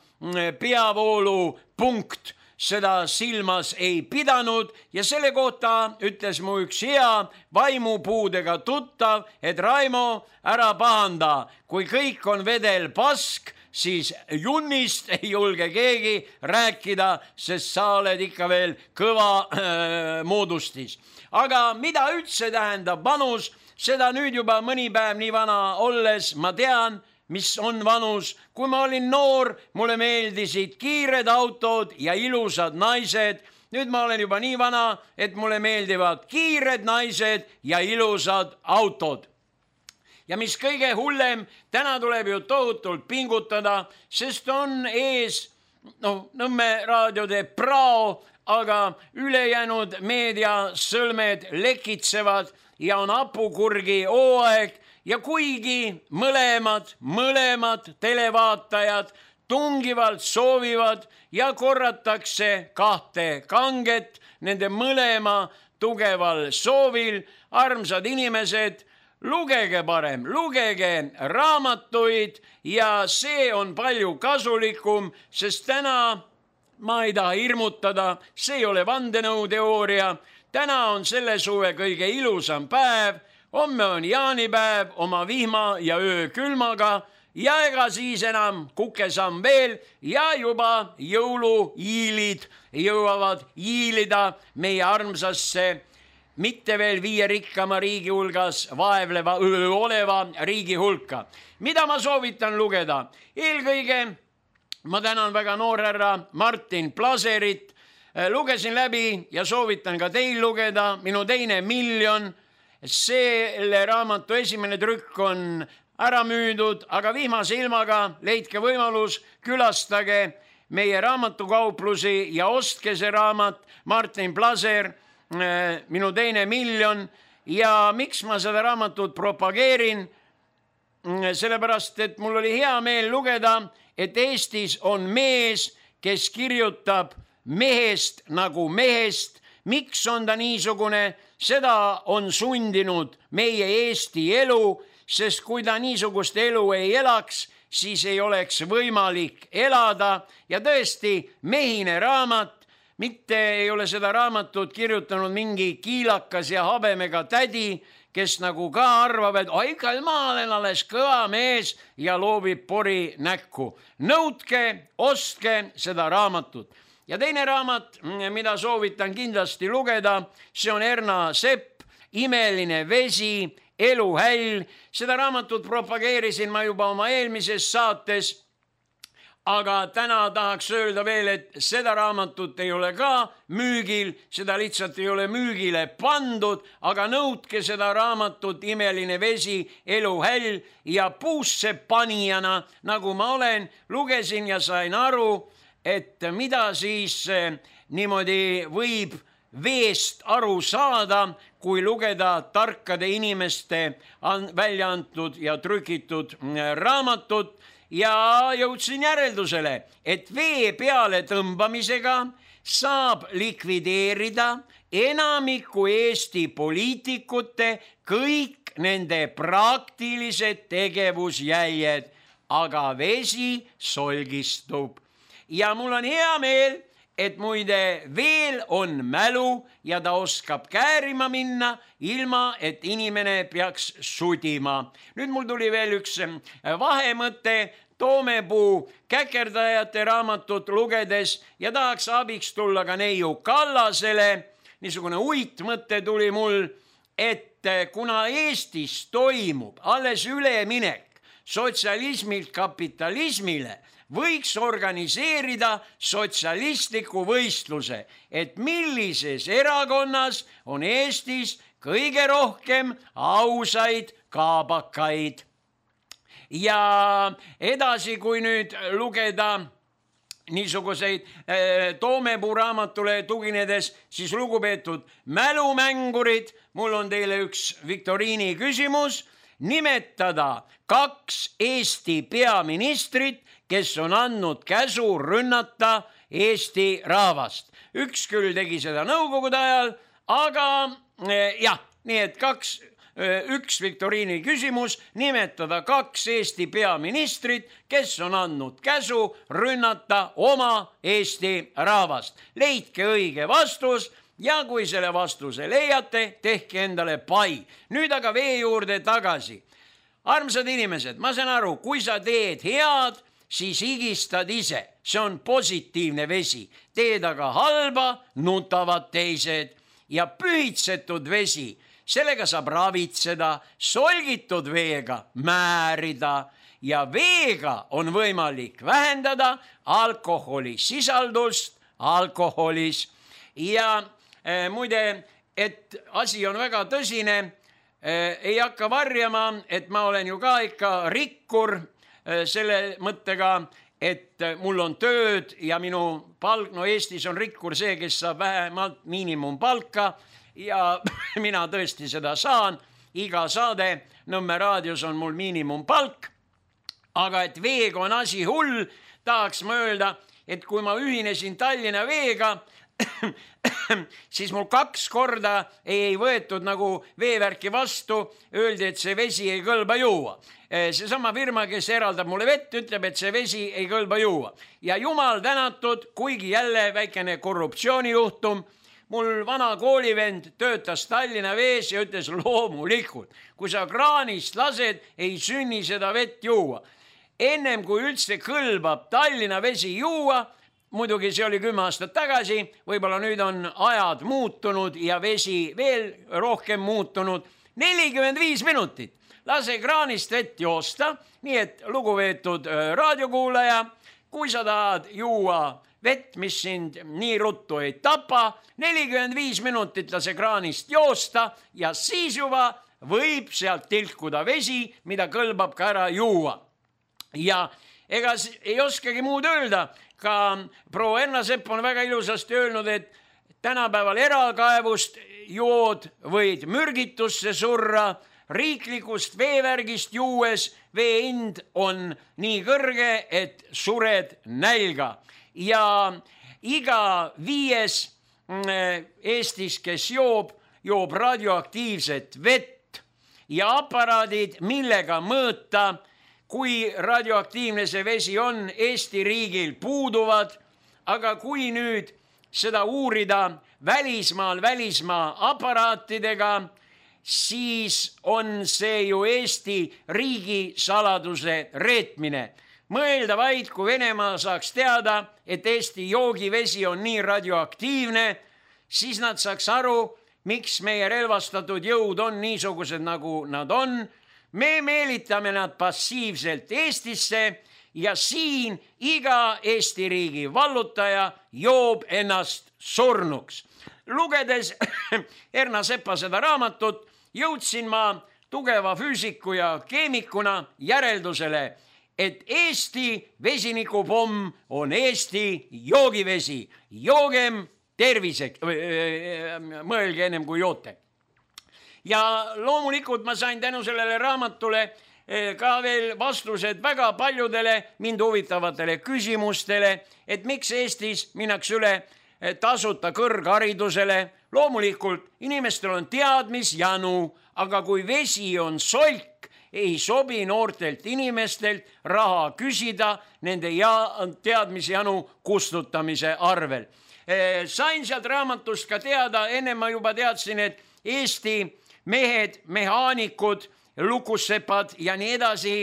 peavoolupunkt seda silmas ei pidanud ja selle kohta ütles mu üks hea vaimupuudega tuttav, et Raimo, ära pahanda, kui kõik on vedel pask, siis junnist ei julge keegi rääkida, sest sa oled ikka veel kõva moodustis. Aga mida üldse tähendab vanus, seda nüüd juba mõni päev nii vana olles ma tean, mis on vanus. Kui ma olin noor, mulle meeldisid kiired autod ja ilusad naised. Nüüd ma olen juba nii vana, et mulle meeldivad kiired naised ja ilusad autod. Ja mis kõige hullem, täna tuleb ju tohutult pingutada, sest on ees, Nõmme raadiode prao, aga ülejäänud meediasõlmed lekitsevad ja on hapukurgi hooaeg. Ja kuigi mõlemad televaatajad tungivalt soovivad ja korratakse 2 kanget nende mõlema tugeval soovil, armsad inimesed, lugege parem, lugege raamatuid ja see on palju kasulikum, sest täna ma ei taha hirmutada, see ei ole vandenõuteooria, täna on selle suve kõige ilusam päev. Homme on jaanipäev oma vihma ja öökülmaga ja ega siis enam kukesamm veel ja juba jõuluiilid jõuavad iilida meie armsasse, mitte veel 5 rikkama riigi hulgas oleva riigi hulka. Mida ma soovitan lugeda? Eelkõige ma tänan väga noorhärra Martin Plaserit. Lugesin läbi ja soovitan ka teil lugeda Minu teine miljon. Selle raamatu esimene trükk on ära müüdud, aga vihmase ilmaga leidke võimalus, külastage meie raamatukauplusi ja ostke see raamat Martin Plaser, Minu teine miljon. Ja miks ma seda raamatut propageerin? Sellepärast, et mul oli hea meel lugeda, et Eestis on mees, kes kirjutab mehest nagu mehest. Miks on ta niisugune? Seda on sundinud meie Eesti elu, sest kui ta niisugust elu ei elaks, siis ei oleks võimalik elada. Ja tõesti, mehine raamat, mitte ei ole seda raamatut kirjutanud mingi kiilakas ja habemega tädi, kes nagu ka arvab, et ikka ma olen alles kõva mees ja loobib pori näkku. Nõudke, ostke seda raamatut. Ja teine raamat, mida soovitan kindlasti lugeda, see on Erna Sepp, Imeline vesi, eluhäll. Seda raamatut propageerisin ma juba oma eelmises saates, aga täna tahaks öelda veel, et seda raamatut ei ole ka müügil, seda lihtsalt ei ole müügile pandud, aga nõudke seda raamatut Imeline vesi, eluhäll ja puusse panijana, nagu ma olen, lugesin ja sain aru, et mida siis niimoodi võib veest aru saada, kui lugeda tarkade inimeste välja antud ja trükitud raamatut. Ja jõudsin järeldusele, et vee peale tõmbamisega saab likvideerida enamiku Eesti poliitikute kõik nende praktilised tegevusjäljed, aga vesi solgistub. Ja mul on hea meel, et muide veel on mälu ja ta oskab käärima minna, ilma et inimene peaks sudima. Nüüd mul tuli veel üks vahemõte Toomepuu käkerdajate raamatut lugedes ja tahaks abiks tulla ka neiu Kallasele. Niisugune uitmõte tuli mul, et kuna Eestis toimub alles üleminek sotsialismilt kapitalismile, võiks organiseerida sotsialistliku võistluse, et millises erakonnas on Eestis kõige rohkem ausaid kaabakaid. Ja edasi, kui nüüd lugeda niisuguseid Toomepuu raamatule tuginedes, siis lugupeetud mälumängurid, mul on teile üks viktoriini küsimus. Nimetada 2 Eesti peaministrit, kes on andnud käsu rünnata Eesti rahvast. Üks küll tegi seda nõukogude ajal, aga jah, nii et üks viktoriini küsimus, nimetada 2 Eesti peaministrit, kes on andnud käsu rünnata oma Eesti rahvast. Leidke õige vastus ja kui selle vastuse leiate, tehke endale pai. Nüüd aga vee juurde tagasi. Armsad inimesed, ma saan aru, kui sa teed head, siis higistad ise. See on positiivne vesi. Teed aga halba, nutavad teised. Ja pühitsetud vesi, sellega saab ravitseda, solgitud veega määrida ja veega on võimalik vähendada alkoholisisaldust alkoholis. Ja muide, et asi on väga tõsine, ei hakka varjama, et ma olen ju ka ikka rikkur selle mõttega, et mul on tööd ja minu palk, no Eestis on rikkur see, kes saab vähemalt miinimumpalka ja mina tõesti seda saan. Iga saade Nõmme raadios on mul miinimumpalk, aga et veega on asi hull, tahaks ma öelda, et kui ma ühinesin Tallinna veega, siis mul 2 korda ei võetud nagu veevärki vastu, öeldi, et see vesi ei kõlba juua. Seesama firma, kes eraldab mulle vett, ütleb, et see vesi ei kõlba juua. Ja jumal tänatud, kuigi jälle väikene korruptsioonijuhtum, mul vana koolivend töötas Tallinna vees ja ütles loomulikult, kui sa kraanist lased, ei sünni seda vett juua. Ennem kui üldse kõlbab Tallinna vesi juua, muidugi see oli 10 aastat tagasi, võib-olla nüüd on ajad muutunud ja vesi veel rohkem muutunud, 45 minutit. Lase kraanist vett joosta, nii et lugupeetud raadiokuulaja, kui sa tahad juua vett, mis sind nii ruttu ei tapa, 45 minutit lase kraanist joosta ja siis juba võib sealt tilkuda vesi, mida kõlbab ka ära juua. Ja ega ei oskagi muud öelda, ka proua Erna Sepp on väga ilusasti öelnud, et tänapäeval erakaevust jood võid mürgitusse surra, riiklikust veevärgist juues vee hind on nii kõrge, et sured nälga. Ja iga 5 Eestis, kes joob radioaktiivset vett ja aparaadid, millega mõõta, kui radioaktiivne see vesi on, Eesti riigil puuduvad, aga kui nüüd seda uurida välismaa aparaatidega, siis on see ju Eesti riigi saladuse reetmine. Mõelda vaid, kui Venemaa saaks teada, et Eesti joogivesi on nii radioaktiivne, siis nad saaks aru, miks meie relvastatud jõud on niisugused, nagu nad on. Me meelitame nad passiivselt Eestisse ja siin iga Eesti riigi vallutaja joob ennast surnuks. Lugedes Erna Sepa seda raamatut, jõudsin ma tugeva füüsiku ja keemikuna järeldusele, et Eesti vesinikupomm on Eesti joogivesi. Joogem terviseks, mõelge ennem kui joote. Ja loomulikult ma sain tänu sellele raamatule ka veel vastused väga paljudele mind huvitavatele küsimustele, et miks Eestis minnakse üle tasuta kõrgharidusele. Loomulikult inimestel on teadmisjanu, aga kui vesi on solk, ei sobi noortelt inimestelt raha küsida nende teadmisjanu kustutamise arvel. Sain sealt raamatust ka teada, enne ma juba teadsin, et Eesti mehed, mehaanikud, lukussepad ja nii edasi,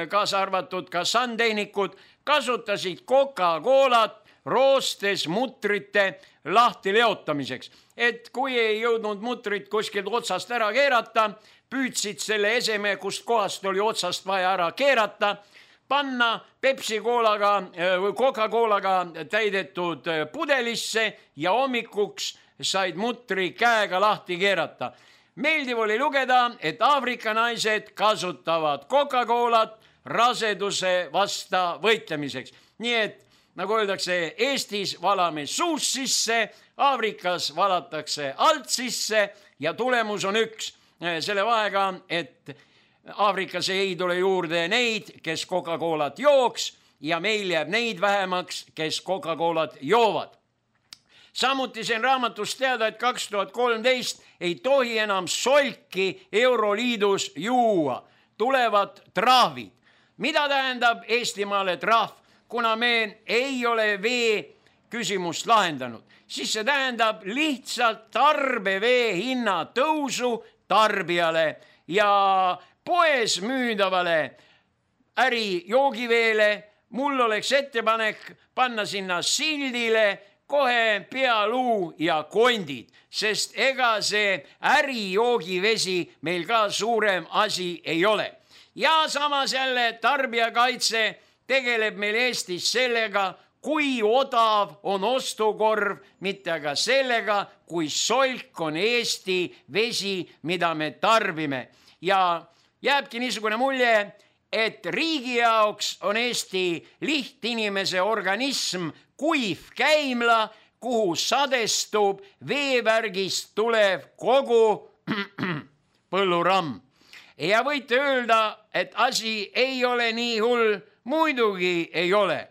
kaasa arvatud ka sandtehnikud, kasutasid Coca-Colat roostes mutrite lahti leotamiseks. Et kui ei jõudnud mutrit kuskilt otsast ära keerata, püüdsid selle eseme, kust kohast oli otsast vaja ära keerata, panna Pepsi-Coolaga või Coca-Coolaga täidetud pudelisse ja hommikuks said mutri käega lahti keerata. Meeldiv oli lugeda, et Aafrika naised kasutavad Coca-Colat raseduse vasta võitlemiseks. Nii et, nagu öeldakse, Eestis valame suust sisse, Aafrikas valatakse alt sisse ja tulemus on üks. Selle vahega, et Aafrikas ei tule juurde neid, kes Coca-Colat jooks ja meil jääb neid vähemaks, kes Coca-Colat joovad. Samuti sain raamatust teada, et 2013 ei tohi enam solki Euroliidus juua. Tulevad trahvid. Mida tähendab Eestimaale trahv? Kuna me ei ole vee küsimust lahendanud, siis see tähendab lihtsalt tarbevee hinna tõusu tarbijale ja poes müüdavale ärijoogiveele. Mul oleks ettepanek panna sinna sildile kohe pealuu ja kondid, sest ega see ärijoogivesi meil ka suurem asi ei ole. Ja samas jälle tarbijakaitse tegeleb meil Eestis sellega, kui odav on ostukorv, mitte aga sellega, kui solk on Eesti vesi, mida me tarbime. Ja jääbki niisugune mulje, et riigi jaoks on Eesti lihtinimese organism kuiv käimla, kuhu sadestub veevärgist tulev kogu põlluramm. Ja võite öelda, et asi ei ole nii hull, muidugi ei ole.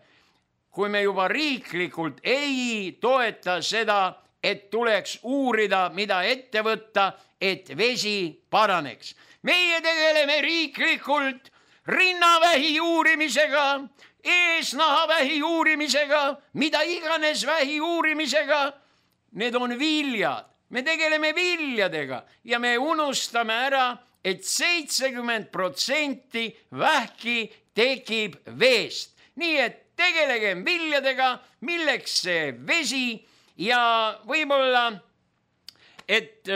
Kui me juba riiklikult ei toeta seda, et tuleks uurida, mida ette võtta, et vesi paraneks. Meie tegeleme riiklikult rinnavähi uurimisega, eesnahavähi uurimisega, mida iganes vähi uurimisega. Need on viljad. Me tegeleme viljadega ja me unustame ära, et 70% vähki tekib veest. Nii et tegelegem viljadega, milleks see vesi ja võib-olla, et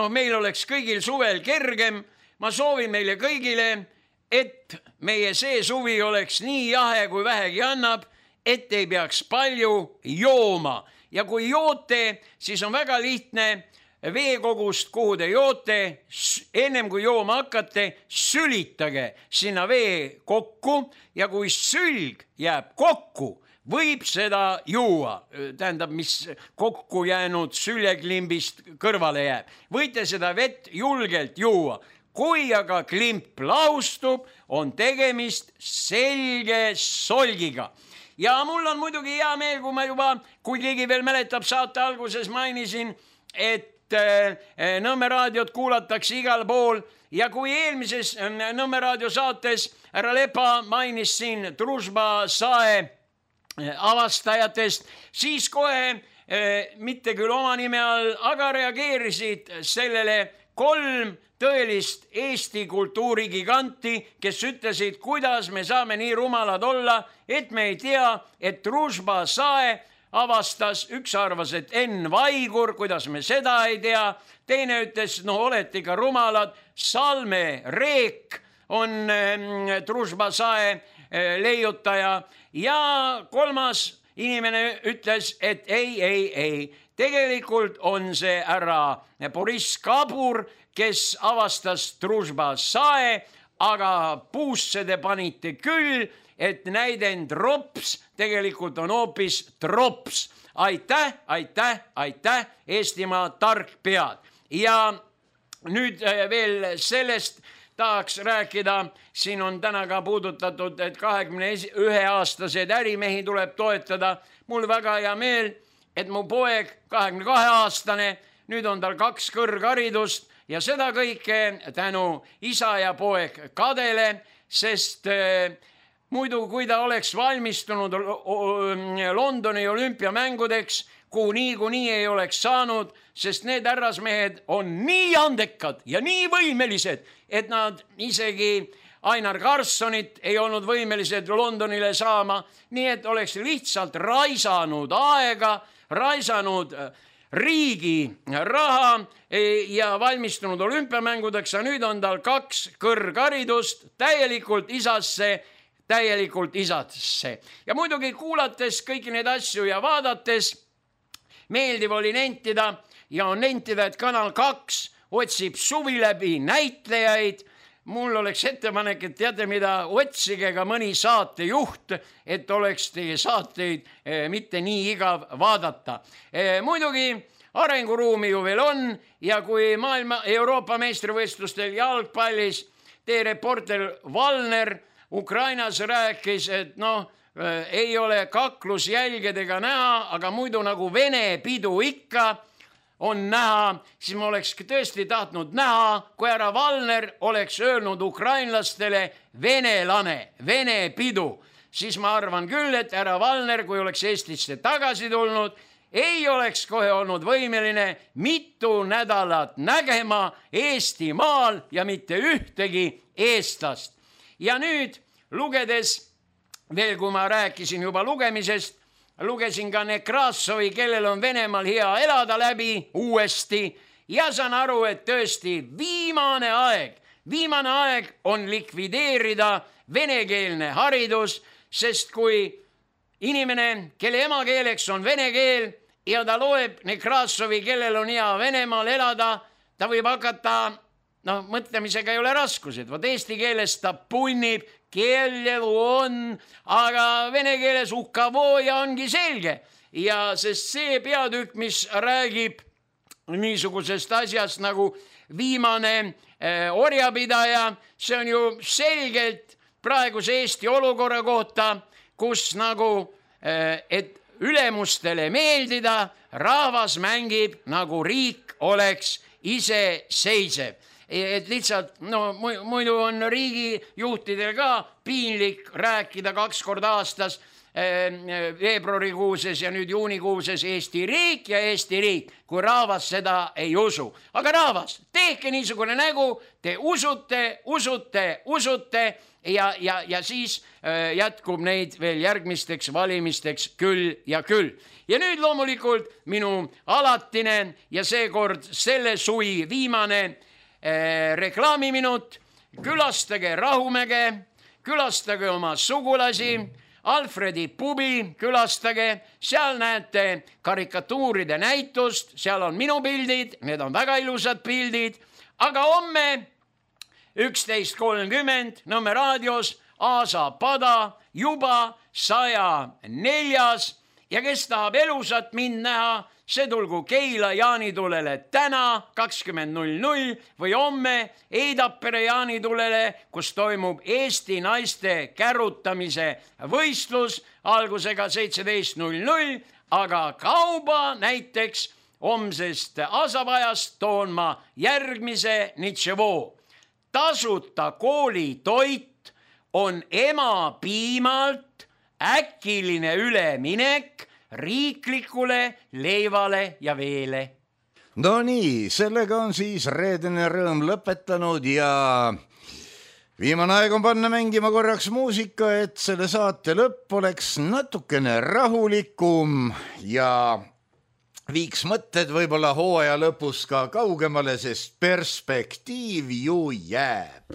meil oleks kõigil suvel kergem. Ma soovin meile kõigile, et meie see suvi oleks nii jahe, kui vähegi annab, et ei peaks palju jooma. Ja kui joote, siis on väga lihtne veekogust, kuhu te joote, ennem kui jooma hakkate, sülitage sinna vee kokku ja kui sülg jääb kokku, võib seda juua, tähendab, mis kokku jäänud süljeklimbist kõrvale jääb. Võite seda vett julgelt juua. Kui aga klimp laustub, on tegemist selge solgiga. Ja mul on muidugi hea meel, kui keegi veel mäletab, saate alguses mainisin, et Nõmme raadiot kuulatakse igal pool ja kui eelmises Nõmme raadio saates härra Lepa mainis siin Družba sae avastajatest, siis kohe mitte küll oma nime all, aga reageerisid sellele 3 tõelist Eesti kultuurigiganti, kes ütlesid, kuidas me saame nii rumalad olla, et me ei tea, et Družba sae avastas, üks arvas, et Enn Vaigur, kuidas me seda ei tea, teine ütles, no olete ikka rumalad, Salme Reek on Družba sae leiutaja ja 3. inimene ütles, et ei, tegelikult on see härra Boriss Kabur, kes avastas Družba sae, aga puusse te panite küll, et näidend rops tegelikult on hoopis trops. Aitäh, Eestimaa tark pead. Ja nüüd veel sellest tahaks rääkida, siin on täna ka puudutatud, et 21-aastased ärimehi tuleb toetada. Mul väga hea meel, et mu poeg, 22-aastane, nüüd on tal 2 kõrgharidust ja seda kõike tänu isa ja poeg Kadele, sest muidu, kui ta oleks valmistunud Londoni olümpiamängudeks, kuhu niikuinii ei oleks saanud, sest need härrasmehed on nii andekad ja nii võimelised, et nad isegi Ainar Karlssonit ei olnud võimelised Londonile saama, nii et oleks lihtsalt raisanud aega, raisanud riigi raha ja valmistunud olümpiamängudeks, ja nüüd on tal 2 kõrgharidust täielikult isasse. Ja muidugi kuulates kõiki neid asju ja vaadates meeldiv oli nentida ja on nentida, et Kanal 2 otsib suvi läbi näitlejaid. Mul oleks ettepanek, et teate mida, otsige ka mõni saatejuht, et oleks teie saateid mitte nii igav vaadata. Muidugi arenguruumi ju veel on ja kui maailma Euroopa meistrivõistlustel jalgpallis teie reporter Valner Ukrainas rääkis, et ei ole kaklusjälgedega näha, aga muidu nagu Vene pidu ikka on näha, siis ma oleks tõesti tahtnud näha, kui härra Valner oleks öelnud ukrainlastele venelane, Vene pidu. Siis ma arvan küll, et härra Valner, kui oleks Eestisse tagasi tulnud, ei oleks kohe olnud võimeline mitu nädalat nägema Eestimaal ja mitte ühtegi eestlast. Ja nüüd lugedes, veel kui ma rääkisin juba lugemisest, lugesin ka Nekrassovi, kellel on Venemaal hea elada läbi uuesti ja saan aru, et tõesti viimane aeg on likvideerida venekeelne haridus, sest kui inimene, kelle emakeeleks on vene keel ja ta loeb Nekrassovi, kellel on hea Venemaal elada, ta võib hakata mõtlemisega ei ole raskused, vaat eesti keeles ta punnib, keelelu on, aga vene keeles uhkavooja ongi selge. Ja sest see peatükk, mis räägib niisugusest asjast nagu viimane orjapidaja, see on ju selgelt praeguse Eesti olukorra kohta, kus nagu, et ülemustele meeldida, rahvas mängib nagu riik oleks iseseisev. Et lihtsalt, muidu on riigijuhtidel ka piinlik rääkida 2 korda aastas, veebruarikuuses ja nüüd juunikuuses Eesti riik ja Eesti riik, kui rahvas seda ei usu. Aga rahvas, tehke niisugune nägu, te usute ja siis jätkub neid veel järgmisteks valimisteks küll ja küll. Ja nüüd loomulikult minu alatine ja seekord selle suvi viimane reklaamiminut. Külastage Rahumäge, külastage oma sugulasi, Alfredi pubi, külastage, seal näete karikatuuride näitust, seal on minu pildid, need on väga ilusad pildid, aga homme 11.30 Nõmme raadios Aasa pada juba 104. ja kes tahab elusat mind näha, see tulgu Keila jaanitulele täna 20.00 või homme Eidapere jaanitulele, kus toimub Eesti naiste kärutamise võistlus algusega 17.00, aga kauba näiteks homsest Asapajast toon ma järgmise nitševoo. Tasuta koolitoit on emapiimalt äkiline üleminek riiklikule leivale ja veele. No nii, sellega on siis reedene rõõm lõpetanud ja viimane aeg on panna mängima korraks muusika, et selle saate lõpp oleks natukene rahulikum ja viiks mõtted võib-olla hooaja lõpus ka kaugemale, sest perspektiiv ju jääb.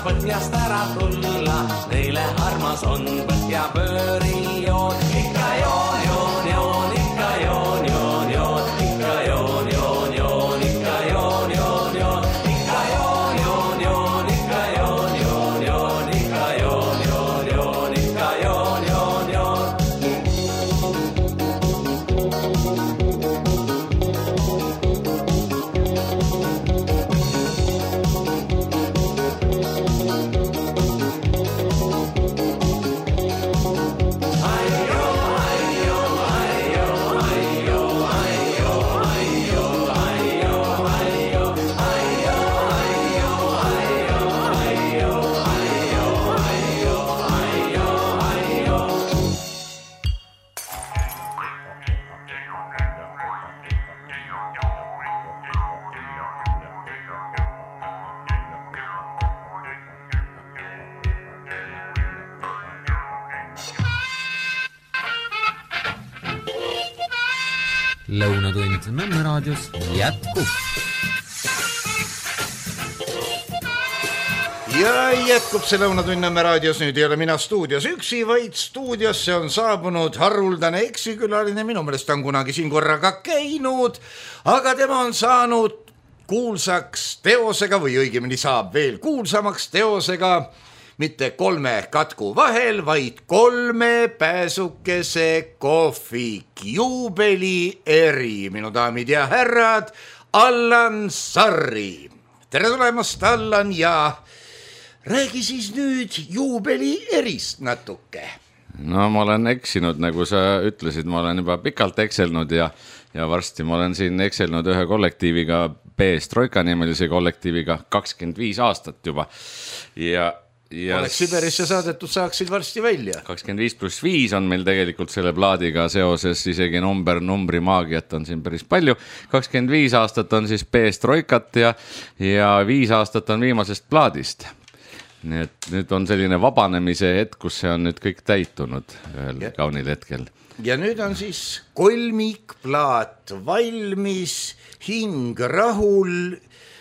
Põhjast ära tulla, neile armas on põhjapöörijoon. Ikka joon, joon, joon, ikka joon, joon, joon, ikka joon, joon, joon, ikka joon, joon, joon, ikka joon, joon, joon, ikka joon, joon, joon, ikka joon, joon, joon, ikka joon, joon, joon. Aio, aio. Lõunatund Nõmme raadios jätkub. Ja jätkub see Lõunatund Nõmme raadios. Nüüd ei ole mina stuudios üksi, vaid stuudiosse on saabunud haruldane eksikülaline. Minu meelest on kunagi siin korraga käinud, aga tema on saanud kuulsaks teosega või õigemini saab veel kuulsamaks teosega mitte 3 katku vahel, vaid 3 pääsukese kohvik juubeli eri. Minu daamid ja härrad, Allan Sarri. Tere tulemast, Allan, ja räägi siis nüüd juubeli erist natuke. No ma olen eksinud, nagu sa ütlesid, ma olen juba pikalt ekselnud ja varsti ma olen siin ekselnud ühe kollektiiviga, Perestroika nimelise kollektiiviga 25 aastat juba. Oleks Siberisse saadetud, saaksid varsti välja. 25+5 on meil tegelikult selle plaadiga seoses, isegi numbri maagiat on siin päris palju. 25 aastat on siis Perestroikat ja 5 aastat on viimasest plaadist. Nii et nüüd on selline vabanemise hetk, kus see on nüüd kõik täitunud ühel kaunil hetkel. Ja nüüd on siis kolmikplaat valmis, hing rahul.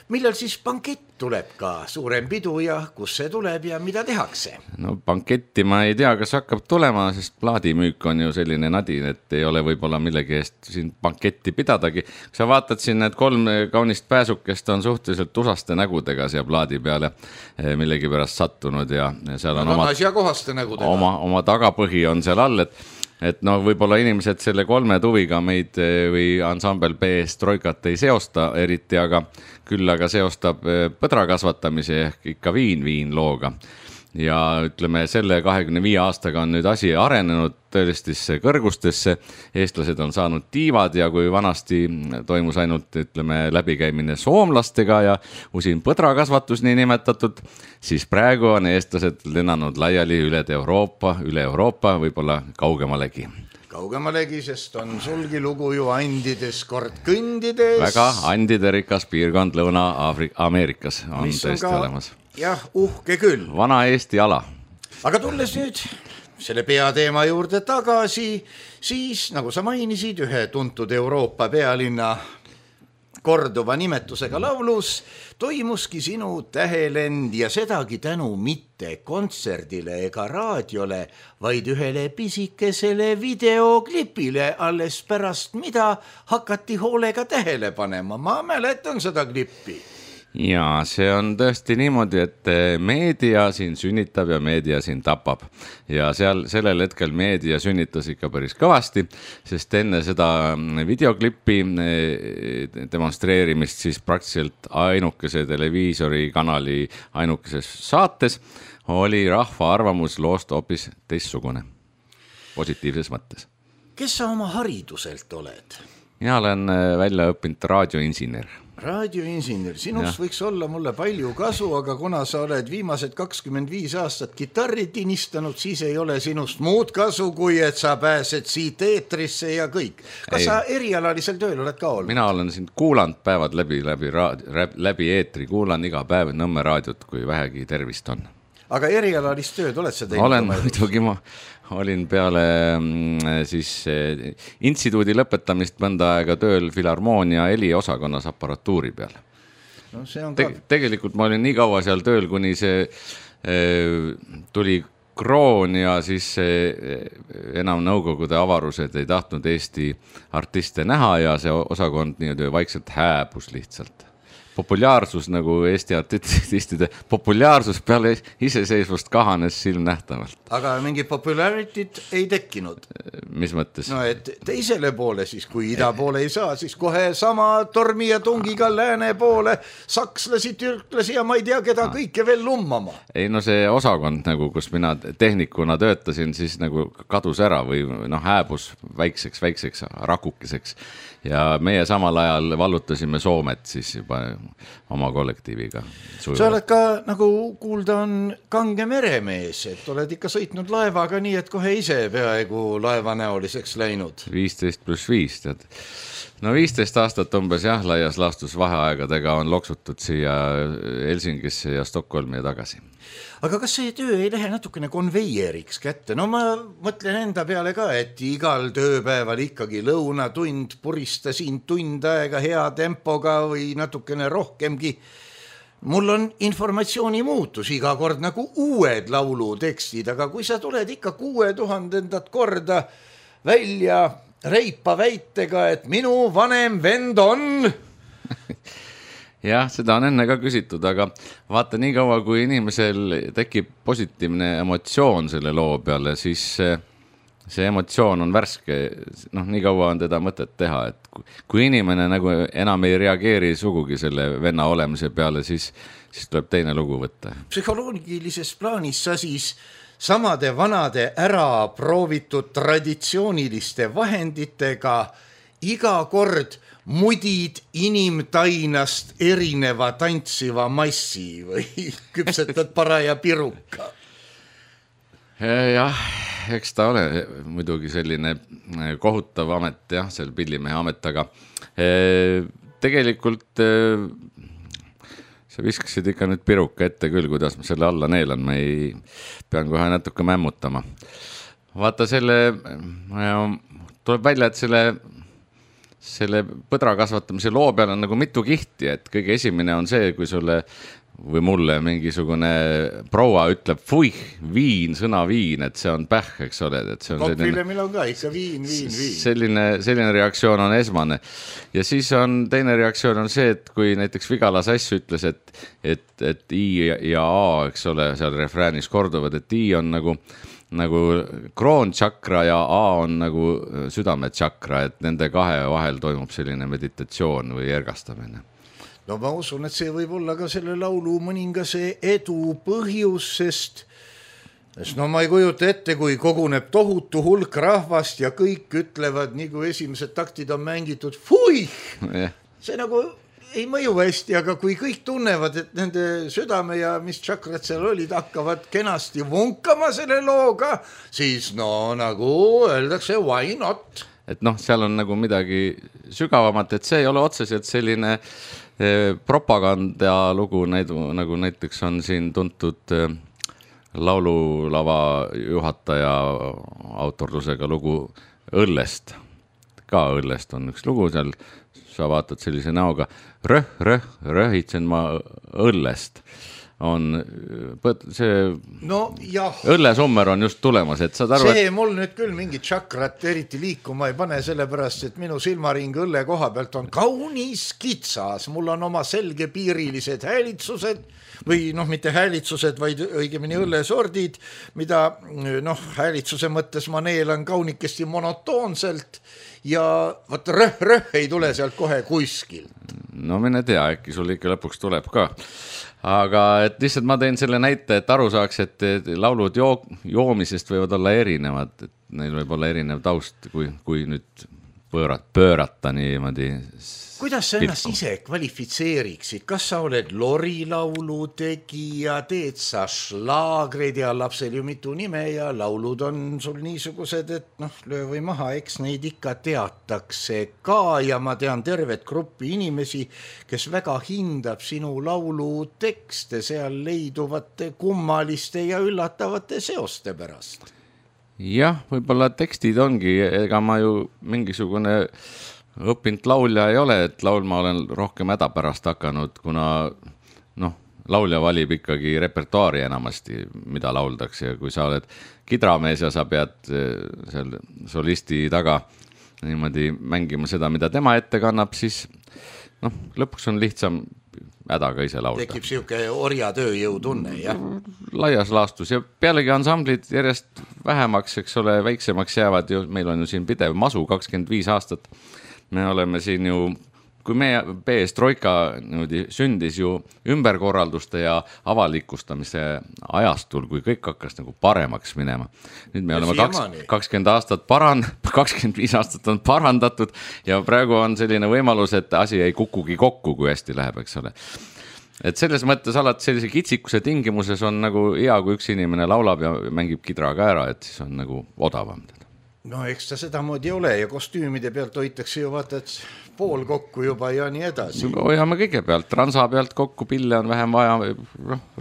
Millal siis bankett tuleb ka, suurem pidu ja kus see tuleb ja mida tehakse? No banketti ma ei tea, kas hakkab tulema, sest plaadimüük on ju selline nadin, et ei ole võib-olla millegi eest siin banketti pidadagi. Kui sa vaatad siin, need 3 kaunist pääsukest on suhteliselt usaste nägudega siia plaadi peale millegi pärast sattunud ja seal on oma tagapõhi on seal all, et no võib-olla inimesed selle 3 tuviga meid või ansambel Perestroikat ei seosta eriti, aga küll aga seostab põdra kasvatamise ehk ikka viin looga. Ja ütleme, selle 25 aastaga on nüüd asi arenenud tõelistesse kõrgustesse. Eestlased on saanud tiivad ja kui vanasti toimus ainult läbikäimine soomlastega ja usin põdrakasvatus nii nimetatud, siis praegu on eestlased lennanud laiali üle Euroopa, võib-olla kaugemalegi. Kaugemalegi, sest on sulgi lugu ju andides kord kõndides. Väga andide rikas piirkond Lõuna-Ameerikas on tõesti olemas. Jah, uhke küll. Vana Eesti ala. Aga tulles nüüd selle peateema juurde tagasi, siis nagu sa mainisid, ühe tuntud Euroopa pealinna korduva nimetusega laulus toimuski sinu tähelend ja sedagi tänu mitte kontserdile ega raadiole, vaid ühele pisikesele videoklipile, alles pärast mida hakati hoolega tähele panema. Ma mäletan seda klippi. Ja see on tõesti niimoodi, et meedia siin sünnitab ja meedia siin tapab. Ja sellel hetkel meedia sünnitas ikka päris kõvasti, sest enne seda videoklippi demonstreerimist siis praktiliselt ainukese televiisorikanali ainukeses saates oli rahva arvamus loost hoopis teistsugune, positiivses mõttes. Kes sa oma hariduselt oled? Mina olen välja õppinud raadioinsener. Raadioinsener, sinust võiks olla mulle palju kasu, aga kuna sa oled viimased 25 aastat kitarri tinistanud, siis ei ole sinust muud kasu, kui et sa pääsed siit eetrisse ja kõik. Kas sa erialalisel tööl oled ka olnud? Mina olen siin kuulanud päevad läbi eetri, kuulan iga päev Nõmme raadiot, kui vähegi tervist on. Aga erialalist tööd oled sa teinud? Olen muidugi, ma olin peale siis instituudi lõpetamist mõnda aega tööl Filharmoonia heliosakonnas aparatuuri peal. No, see on tegelikult ma olin nii kaua seal tööl, kuni see tuli kroon ja siis enam nõukogude avarused ei tahtnud Eesti artiste näha ja see osakond nii vaikselt hääbus lihtsalt. Populaarsus nagu Eesti artistide populaarsus peale iseseisvust kahanes silmnähtavalt. Aga mingi popularityt ei tekkinud? Mis mõttes? No et teisele poole siis, kui ida poole ei saa, siis kohe sama tormi ja tungiga lääne poole sakslasi, türklasi ja ma ei tea keda kõike veel lummama. Ei no see osakond, nagu, kus mina tehnikuna töötasin, siis nagu kadus ära või hääbus väikseks rakukeseks. Ja meie samal ajal vallutasime Soomet siis juba oma kollektiiviga. Sa oled ka, nagu kuulda on, kange meremees, et oled ikka sõitnud laevaga nii, et kohe ise peaaegu laeva tõenäoliseks läinud. 15+5, tead. No 15 aastat umbes jah, laias laastus vaheaegadega on loksutud siia Helsingisse ja Stockholmi ja tagasi. Aga kas see töö ei lähe natukene konveieriks kätte? No ma mõtlen enda peale ka, et igal tööpäeval ikkagi lõunatund, puristasin tund aega hea tempoga või natukene rohkemgi. Mul on informatsiooni muutus iga kord nagu uued laulutekstid, aga kui sa tuled ikka 6000 korda välja reipa väitega, et minu vanem vend on... Jah, seda on enne ka küsitud, aga vaata nii kaua, kui inimesel tekib positiivne emotsioon selle loo peale, siis see emotsioon on värske, noh, nii kaua on teda mõtet teha, et kui inimene nagu enam ei reageeri sugugi selle venna olemise peale, siis tuleb teine lugu võtta. Psühholoogilises plaanis sa siis samade vanade ära proovitud traditsiooniliste vahenditega iga kord mudid inimtainast erineva tantsiva massi või küpsetad paraja piruka? Jah, eks ta ole muidugi selline kohutav amet, jah, seal pillimehe amet, aga tegelikult sa viskasid ikka nüüd piruka ette küll, kuidas ma selle alla neelan, ma ei pean kohe natuke mämmutama. Vaata tuleb välja, et selle põdra kasvatamise loo peal on nagu mitu kihti, et kõige esimene on see, kui sulle või mulle mingisugune proua ütleb fuih, viin, sõna viin, et see on päh, eks ole. Kokvilemil on ka ikka viin. Selline reaktsioon on esmane. Ja siis on teine reaktsioon on see, et kui näiteks Vigala Sass ütles, et I ja A, eks ole, seal refräänis korduvad, et I on nagu kroontšakra ja A on nagu südametšakra, et nende kahe vahel toimub selline meditatsioon või ergastamine. No ma usun, et see võib olla ka selle laulu mõningase edu põhjus, sest no ma ei kujuta ette, kui koguneb tohutu hulk rahvast ja kõik ütlevad, nii kui esimesed taktid on mängitud, fuih! See nagu ei mõju hästi, aga kui kõik tunnevad, et nende südame ja mis tšakrad seal olid, hakkavad kenasti vunkama selle looga, siis no nagu öeldakse, why not? Et noh, seal on nagu midagi sügavamat, et see ei ole otseselt selline propaganda lugu, nagu näiteks on siin tuntud laululava juhataja autorlusega lugu Õllest. Ka Õllest on üks lugu seal, sa vaatad sellise näoga, röhitsen ma Õllest. On see õllesummer on just tulemas, et saad aru, see mul nüüd küll mingi tšakrat eriti liikuma ei pane, sellepärast, et minu silmaring õlle koha pealt on kaunis kitsas, mul on oma selgepiirilised häälitsused või noh, mitte häälitsused, vaid õigemini õllesordid, mida häälitsuse mõttes ma neelan kaunikesti monotoonselt ja vaat röh ei tule sealt kohe kuskil. No mine tea, äkki sul ikka lõpuks tuleb ka. Aga et lihtsalt ma teen selle näite, et aru saaks, et laulud joomisest võivad olla erinevad, et neil võib olla erinev taust, kui nüüd pöörata niimoodi. Kuidas sa ennast ise kvalifitseeriksid? Kas sa oled lorilaulu tegija, teed sa šlaagreid ja lapsel ju mitu nime ja laulud on sul niisugused, et löö või maha, eks neid ikka teatakse ka ja ma tean tervet gruppi inimesi, kes väga hindab sinu laulu tekste seal leiduvate kummaliste ja üllatavate seoste pärast. Jah, võib-olla tekstid ongi, ega ma ju mingisugune õppinud laulja ei ole, et laulma olen rohkem häda pärast hakanud, kuna laulja valib ikkagi repertuaari enamasti, mida lauldakse ja kui sa oled kidramees ja sa pead seal solisti taga niimoodi mängima seda, mida tema ette kannab, siis lõpuks on lihtsam hädaga ise laulda. Tekib siuke orja tööjõu tunne, jah? Laias laastus ja pealegi ansamblid järjest vähemaks, eks ole, väiksemaks jäävad ju, meil on ju siin pidev masu 25 aastat. Me oleme siin ju, kui meie PS Troika sündis ju ümberkorralduste ja avalikustamise ajastul, kui kõik hakkas nagu paremaks minema. Nüüd me oleme 20 aastat 25 aastat on parandatud ja praegu on selline võimalus, et asi ei kukugi kokku, kui hästi läheb, eks ole. Et selles mõttes alati sellise kitsikuse tingimuses on nagu hea, kui üks inimene laulab ja mängib kidraga ära, et siis on nagu odavam. No eks ta sedamoodi ole ja kostüümide pealt hoitakse ju vaata, et pool kokku juba ja nii edasi. Hoiame kõige pealt, transa pealt kokku, pille on vähem vaja,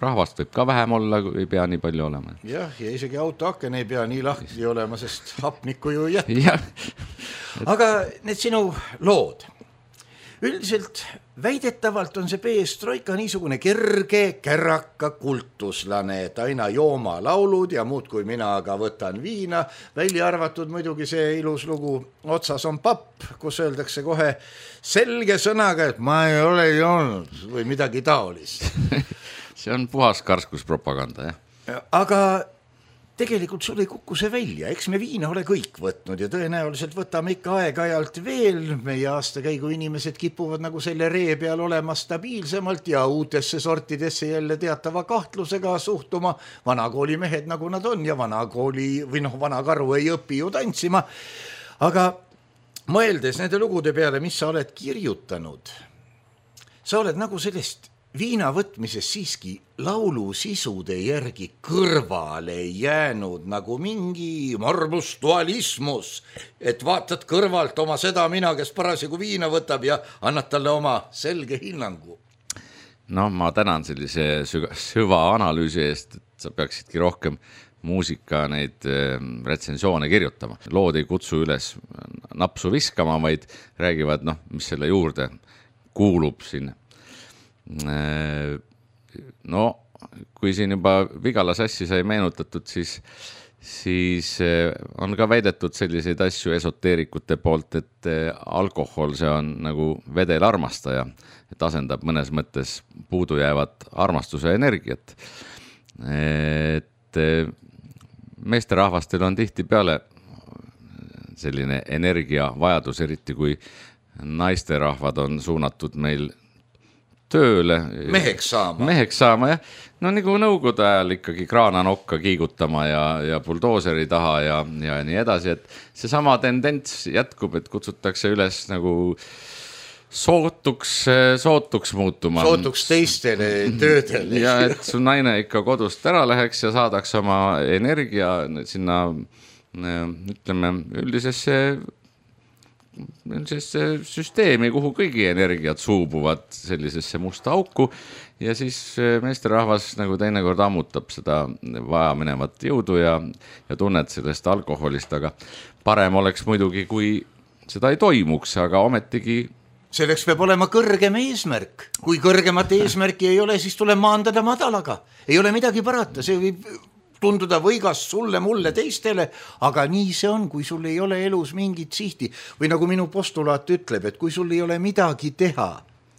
rahvast võib ka vähem olla, ei pea nii palju olema. Jah, ja isegi autoaken ei pea nii lahti olema, sest hapnikku ju jätkub. Aga need sinu lood, üldiselt väidetavalt on see Perestroika niisugune kerge, kärraka kultuslane, et aina jooma laulud ja muud kui mina aga võtan viina, välja arvatud muidugi see ilus lugu Otsas on papp, kus öeldakse kohe selge sõnaga, et ma ei ole joonud või midagi taolist. See on puhas karskuspropaganda, jah. Aga tegelikult sul ei kukku see välja, eks me viina ole kõik võtnud ja tõenäoliselt võtame ikka aeg-ajalt veel. Meie aastakäigu inimesed kipuvad nagu selle ree peal olema stabiilsemalt ja uutesse sortidesse jälle teatava kahtlusega suhtuma. Vanakooli mehed nagu nad on ja vanakooli või vana karu ei õpi ju tantsima. Aga mõeldes nende lugude peale, mis sa oled kirjutanud, sa oled nagu sellest viina võtmises siiski laulu sisude järgi kõrvale jäänud nagu mingi morbus dualismus, et vaatad kõrvalt oma seda mina, kes parasjagu viina võtab ja annad talle oma selge hinnangu. No ma tänan sellise süva analüüsi eest, et sa peaksidki rohkem muusika neid retsensioone kirjutama. Lood ei kutsu üles napsu viskama, vaid räägivad, mis selle juurde kuulub siin. No, kui siin juba Vigala sassi sai meenutatud, siis on ka väidetud selliseid asju esoteerikute poolt, et alkohol, see on nagu vedel armastaja, et asendab mõnes mõttes puudujäävat armastuse energiat. Et meesterahvastel on tihti peale selline energiavajadus, eriti kui naisterahvad on suunatud meil tööle. Meheks saama, jah. No nagu nõukogude ajal ikkagi kraananokka kiigutama ja buldooseri taha ja nii edasi, et see sama tendents jätkub, et kutsutakse üles nagu sootuks muutuma. Sootuks teistele töödele. Ja et su naine ikka kodust ära läheks ja saadaks oma energia sinna, ütleme, üldisesse süsteemi, kuhu kõigi energiat suubuvad sellisesse musta auku ja siis meesterahvas nagu teinekord ammutab seda vaja minevat jõudu ja tunned sellest alkoholist, aga parem oleks muidugi, kui seda ei toimuks, aga ometigi selleks peab olema kõrgem eesmärk. Kui kõrgemat eesmärki ei ole, siis tuleb maandada madalaga. Ei ole midagi parata, see võib tunduda võigas sulle, mulle, teistele, aga nii see on, kui sul ei ole elus mingit sihti. Või nagu minu postulaat ütleb, et kui sul ei ole midagi teha,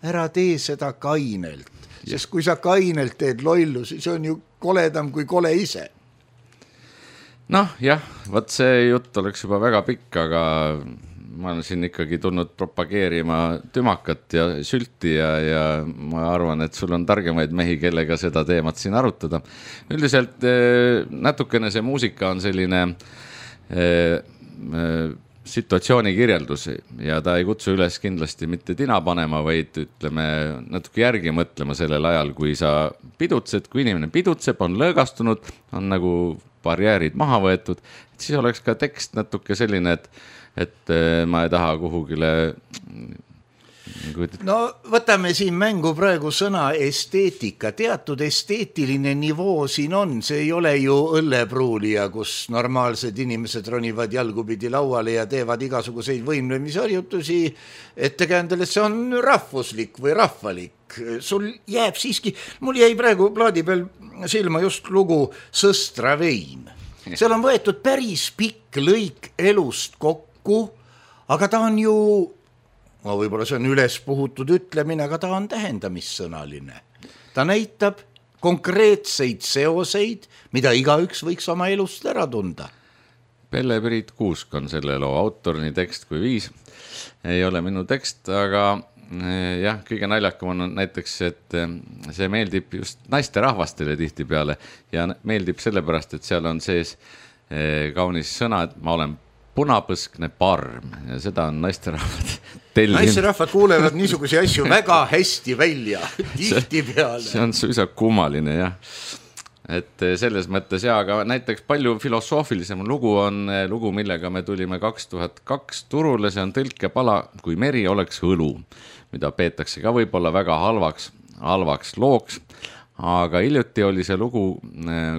ära tee seda kainelt. Sest kui sa kainelt teed lollu, siis on ju koledam kui kole ise. Noh, jah, võt see jutt oleks juba väga pikk, aga ma olen siin ikkagi tulnud propageerima tümakat ja sülti ja ma arvan, et sul on targemaid mehi, kellega seda teemat siin arutada. Üldiselt natukene see muusika on selline situatsiooni kirjeldus ja ta ei kutsu üles kindlasti mitte tina panema, vaid ütleme natuke järgi mõtlema sellel ajal, kui sa pidutsed, kui inimene pidutseb, on lõõgastunud, on nagu barjäärid maha võetud, et siis oleks ka tekst natuke selline, et ma ei taha kuhugile. No võtame siin mängu praegu sõna esteetika. Teatud esteetiline nivoo siin on. See ei ole ju õllepruulija, kus normaalsed inimesed ronivad jalgupidi lauale ja teevad igasuguseid võimlemisharjutusi ettekäändel, et see on rahvuslik või rahvalik. Sul jääb siiski, mul jäi praegu plaadi peal silma just lugu Sõstra vein. Seal on võetud päris pikk lõik elust kokku, aga ta on ju, võib-olla see on üles puhutud ütlemine, aga ta on tähendamissõnaline. Ta näitab konkreetseid seoseid, mida igaüks võiks oma elust ära tunda. Pelle-Priit Kuusk on selle loo autor, nii tekst kui viis. Ei ole minu tekst, aga jah, kõige naljakam on näiteks, et see meeldib just naisterahvastele tihti peale ja meeldib sellepärast, et seal on sees kaunis sõna, et ma olen punapõskne parm ja seda on naisterahvad tellinud. Naisterahvad kuulevad niisugusi asju väga hästi välja, tihti peale. See on suisa kummaline, jah. et selles mõttes aga näiteks palju filosoofilisem lugu on lugu, millega me tulime 2002 turule, see on Tõlkepala, kui meri oleks õlu, mida peetakse ka võib-olla väga halvaks looks, aga hiljuti oli see lugu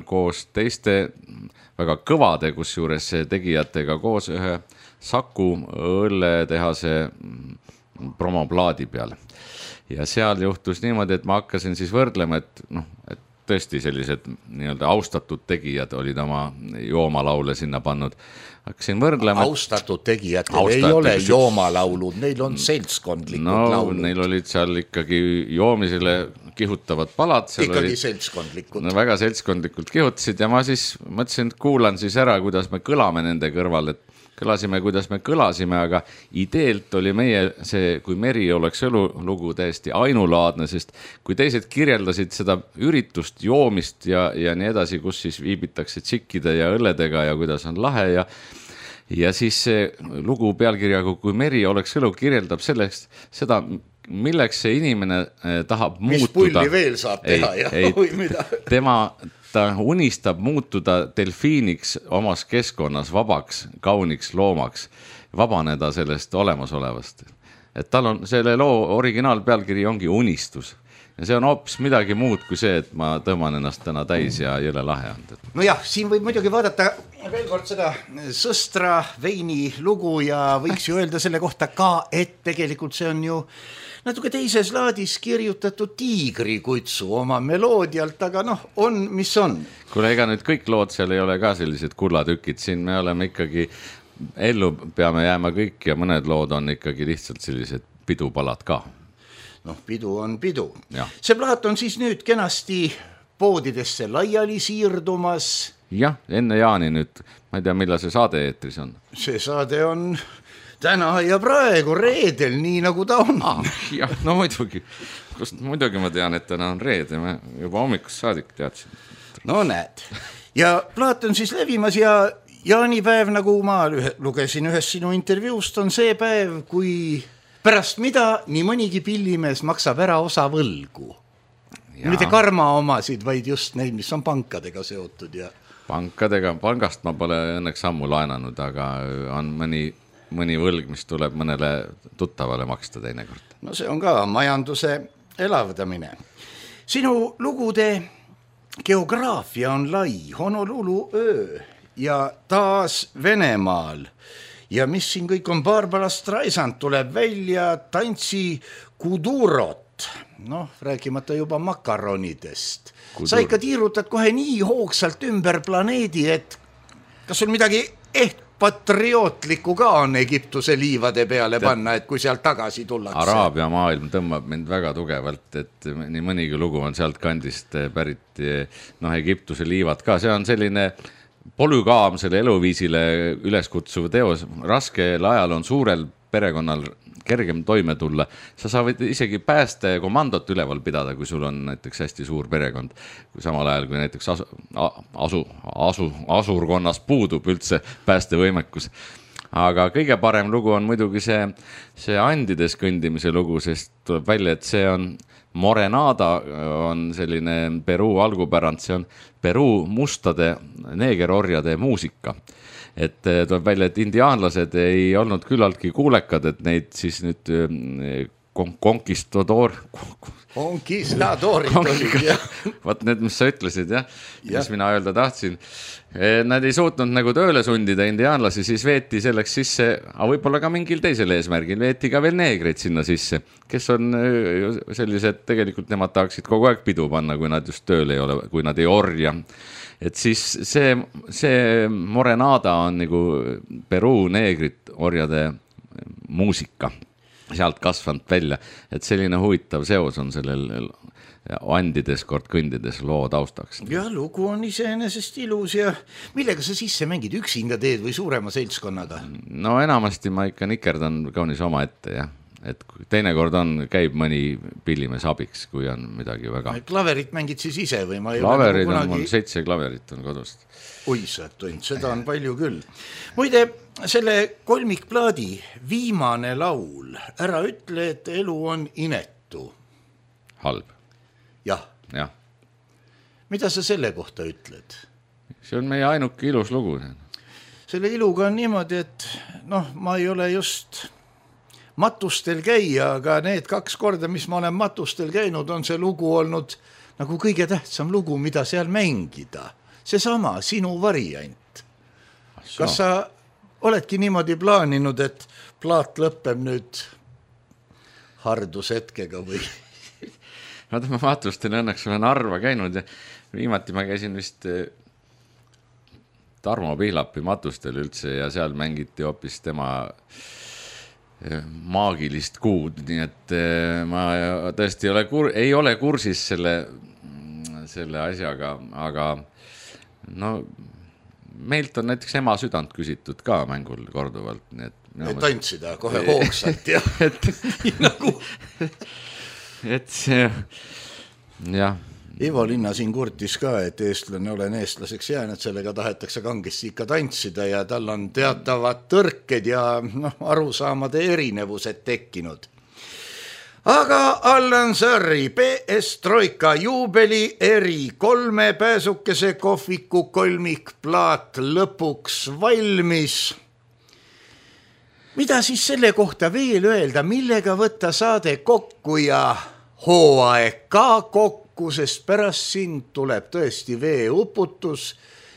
koos teiste väga kõvade, kusjuures tegijatega koos ühe Saku õlletehase promoplaadi peal. Ja seal juhtus niimoodi, et ma hakkasin siis võrdlema, et tõesti sellised nii-öelda austatud tegijad olid oma joomalaule sinna pannud. Hakkasin võrdlema. Austatud tegijatel ei ole joomalaulud, neil on seltskondlikud laulud. Neil olid seal ikkagi joomisele kihutavad palad. Ikkagi seltskondlikud. Väga seltskondlikult kihutasid ja ma siis mõtlesin, et kuulan siis ära, kuidas me kõlame nende kõrval, et kõlasime, kuidas me kõlasime, aga ideelt oli meie see, kui meri oleks õlu lugu täiesti ainulaadne, sest kui teised kirjeldasid seda üritust, joomist ja nii edasi, kus siis viibitakse tsikkide ja õlledega ja kuidas on lahe ja siis see lugu pealkirjaga, kui meri oleks õlu, kirjeldab selleks seda, milleks see inimene tahab muutuda. Mis pulli veel saab teha või mida? Ta unistab muutuda delfiiniks omas keskkonnas, vabaks, kauniks loomaks, vabaneda sellest olemasolevast. Et tal on selle loo originaalpealkiri ongi unistus. Ja see on hoopis midagi muud kui see, et ma tõmban ennast täna täis ja jõle lahe on. No jah, siin võib muidugi vaadata veel kord seda Sõstra veini lugu ja võiks ju öelda selle kohta ka, et tegelikult see on ju natuke teises laadis kirjutatud Tiigrikutsu oma meloodialt, aga on, mis on. Kuule, ega nüüd kõik lood seal ei ole ka sellised kullatükid, siin me oleme ikkagi ellu peame jääma kõik ja mõned lood on ikkagi lihtsalt sellised pidupalad ka. Pidu on pidu. Ja. See plaat on siis nüüd kenasti poodidesse laiali siirdumas. Jah, enne Jaani nüüd, ma ei tea, millal see saade eetris on. See saade on täna ja praegu reedel, nii nagu ta on. Jah, no muidugi ma tean, et täna on reede, ma juba hommikust saadik teadsin. No näed. Ja plaat on siis levimas ja jaanipäev, nagu ma lugesin ühes sinu intervjuust, on see päev, kui pärast mida nii mõnigi pillimees maksab ära osa võlgu. Mitte karma omasid, vaid just neid, mis on pankadega seotud. Ja pangast ma pole õnneks ammu laenanud, aga on mõni võlg, mis tuleb mõnele tuttavale maksta teinekord. No see on ka majanduse elavdamine. Sinu lugude geograafia on lai, Honolulu öö ja taas Venemaal. Ja mis siin kõik on, Barbara Streisand tuleb välja, tantsi Kudurot, rääkimata juba makaronidest. Sa ikka tiirutad kohe nii hoogsalt ümber planeedi, et kas sul midagi patriootlikku ka on Egiptuse liivade peale panna, et kui sealt tagasi tullakse? Araabia maailm tõmbab mind väga tugevalt, et nii mõnigi lugu on sealt kandist pärit, Egiptuse liivad ka, see on selline polügaamsele eluviisile üleskutsuv teos. Raskel ajal on suurel perekonnal kergem toime tulla. Sa saavad isegi päästekomandot üleval pidada, kui sul on näiteks hästi suur perekond. Kui samal ajal, kui näiteks asurkonnas puudub üldse päästevõimekus. Aga kõige parem lugu on muidugi see Andides kõndimise lugu, sest tuleb välja, et see on Morenada, on selline Peruu algupärand, see on Peruu mustade neegerorjade muusika. Et tuleb välja, et indiaanlased ei olnud küllaltki kuulekad, et neid siis nüüd Konkistadoorid olid, jah. Vaat need, mis sa ütlesid, jah, mis mina öelda tahtsin. Nad ei suutnud nagu tööle sundida indiaanlasi, siis veeti selleks sisse, aga võib-olla ka mingil teisel eesmärgil, veeti ka veel neegreid sinna sisse, kes on sellised, tegelikult nemad tahaksid kogu aeg pidu panna, kui nad just tööl ei ole, kui nad ei orja. Et siis see Morenada on nagu Peruu neegrit orjade muusika. Sealt kasvanud välja, et selline huvitav seos on sellel Andides kord kõndides loo taustaks. Ja lugu on iseenesest ilus ja millega sa sisse mängid, üksinda teed või suurema seltskonnaga? No enamasti ma ikka nikerdan kaunis oma ette, jah. Et teinekord käib mõni pillimees abiks, kui on midagi väga. Klaverit mängid siis ise või? Klaverid on mul 7 klaverit on kodust. Oi, seda on palju küll. Muide, selle kolmikplaadi viimane laul, ära ütle, et elu on inetu. Halb. Jah. mida sa selle kohta ütled? See on meie ainuke ilus lugu. Selle iluga on niimoodi, et ma ei ole just matustel käia, aga need 2 korda, mis ma olen matustel käinud, on see lugu olnud nagu kõige tähtsam lugu, mida seal mängida. Seesama sinu variant. Kas sa oledki niimoodi plaaninud, et plaat lõpeb nüüd hardushetkega või? Ma matustel õnneks olen harva käinud ja viimati ma käisin vist Tarmo Pihlapi matustel üldse ja seal mängiti hoopis tema maagilist kuud, nii et ma tõesti ei ole kursis selle asjaga, aga meilt on näiteks ema südant küsitud ka mängul korduvalt. Nii et tantsida kohe hoogsalt ja et see, jah. Ivo Linna siin kurtis ka, et eestlane olen eestlaseks jäänud, sellega tahetakse kangesti ikka tantsida ja tal on teatavad tõrked ja arusaamade erinevused tekkinud. Aga Allan Sarri PS Troika juubeli eri 3 pääsukese kohviku kolmikplaat lõpuks valmis. Mida siis selle kohta veel öelda, millega võtta saade kokku ja hooaeg ka kokku, sest pärast sind tuleb tõesti veeuputus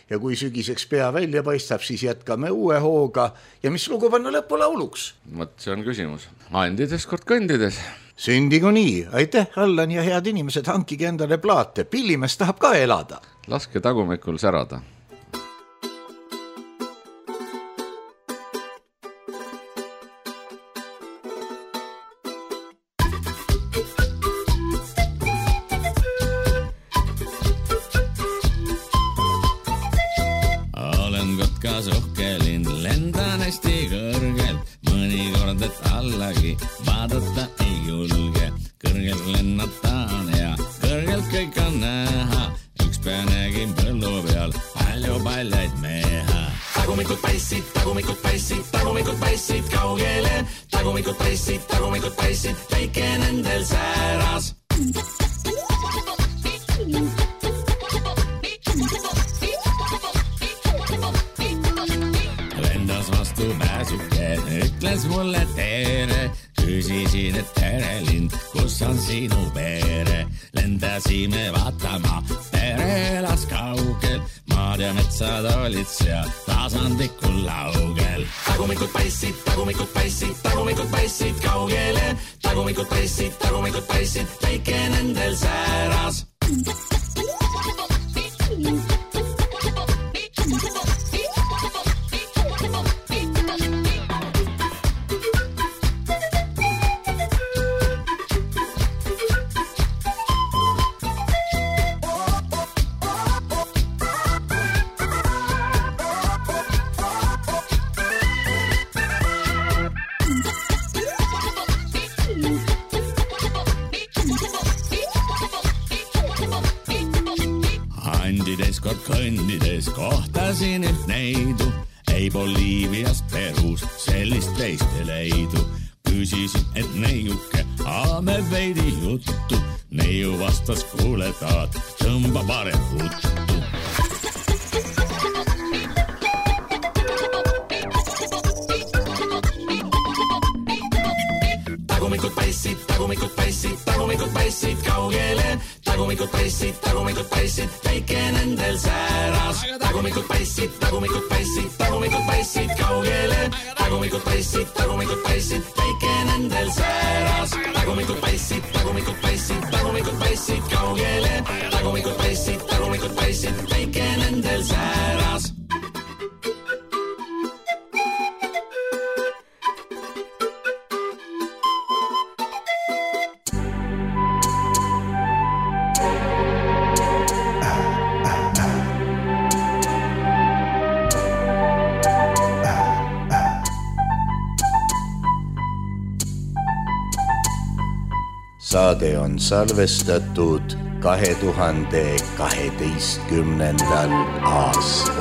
ja kui sügiseks pea välja paistab, siis jätkame uue hooga ja mis lugu panna lõpulauluks? Vot see on küsimus. Andides kord kõndides. Sündigu nii. Aitäh, Allan ja head inimesed, hankige endale plaate. Pillimees tahab ka elada. Laske tagumikul särada. Vaadata ei julge, kõrgelt lennataan ja kõrgelt kõik on näha. Üks päev nägin põllu peal palju paljaid meha. Tagumikud paissid kaugele. Tagumikud paissid, väike nendel sääras. Lendas vastu pääsuke, ütles mulle tere. Küsisin, et tere lind, kus on sinu pere? Lendasime vaatama, pere elas kaugel. Maad ja metsad olid seal tasandikul laugel. Tagumikud paissid kaugele. Tagumikud paissid, väike nendel sääras. Kõndides kohtasin üht neidu, ei Boliiviast Perus sellist teist ei leidu. Küsisin, et neiuke, me veidi juttu. Neiu vastas, kuule taad, tõmba parem huttu. Tagumikud paissid kaugele. Tagumikud paissid, väike nendel sääras. Tagumikud paissid kaugele. Tagumikud paissid, väike nendel sääras. Tagumikud paissid kaugele. Tagumikud paissid, väike nendel sääras. Saade on salvestatud 2012. aastal.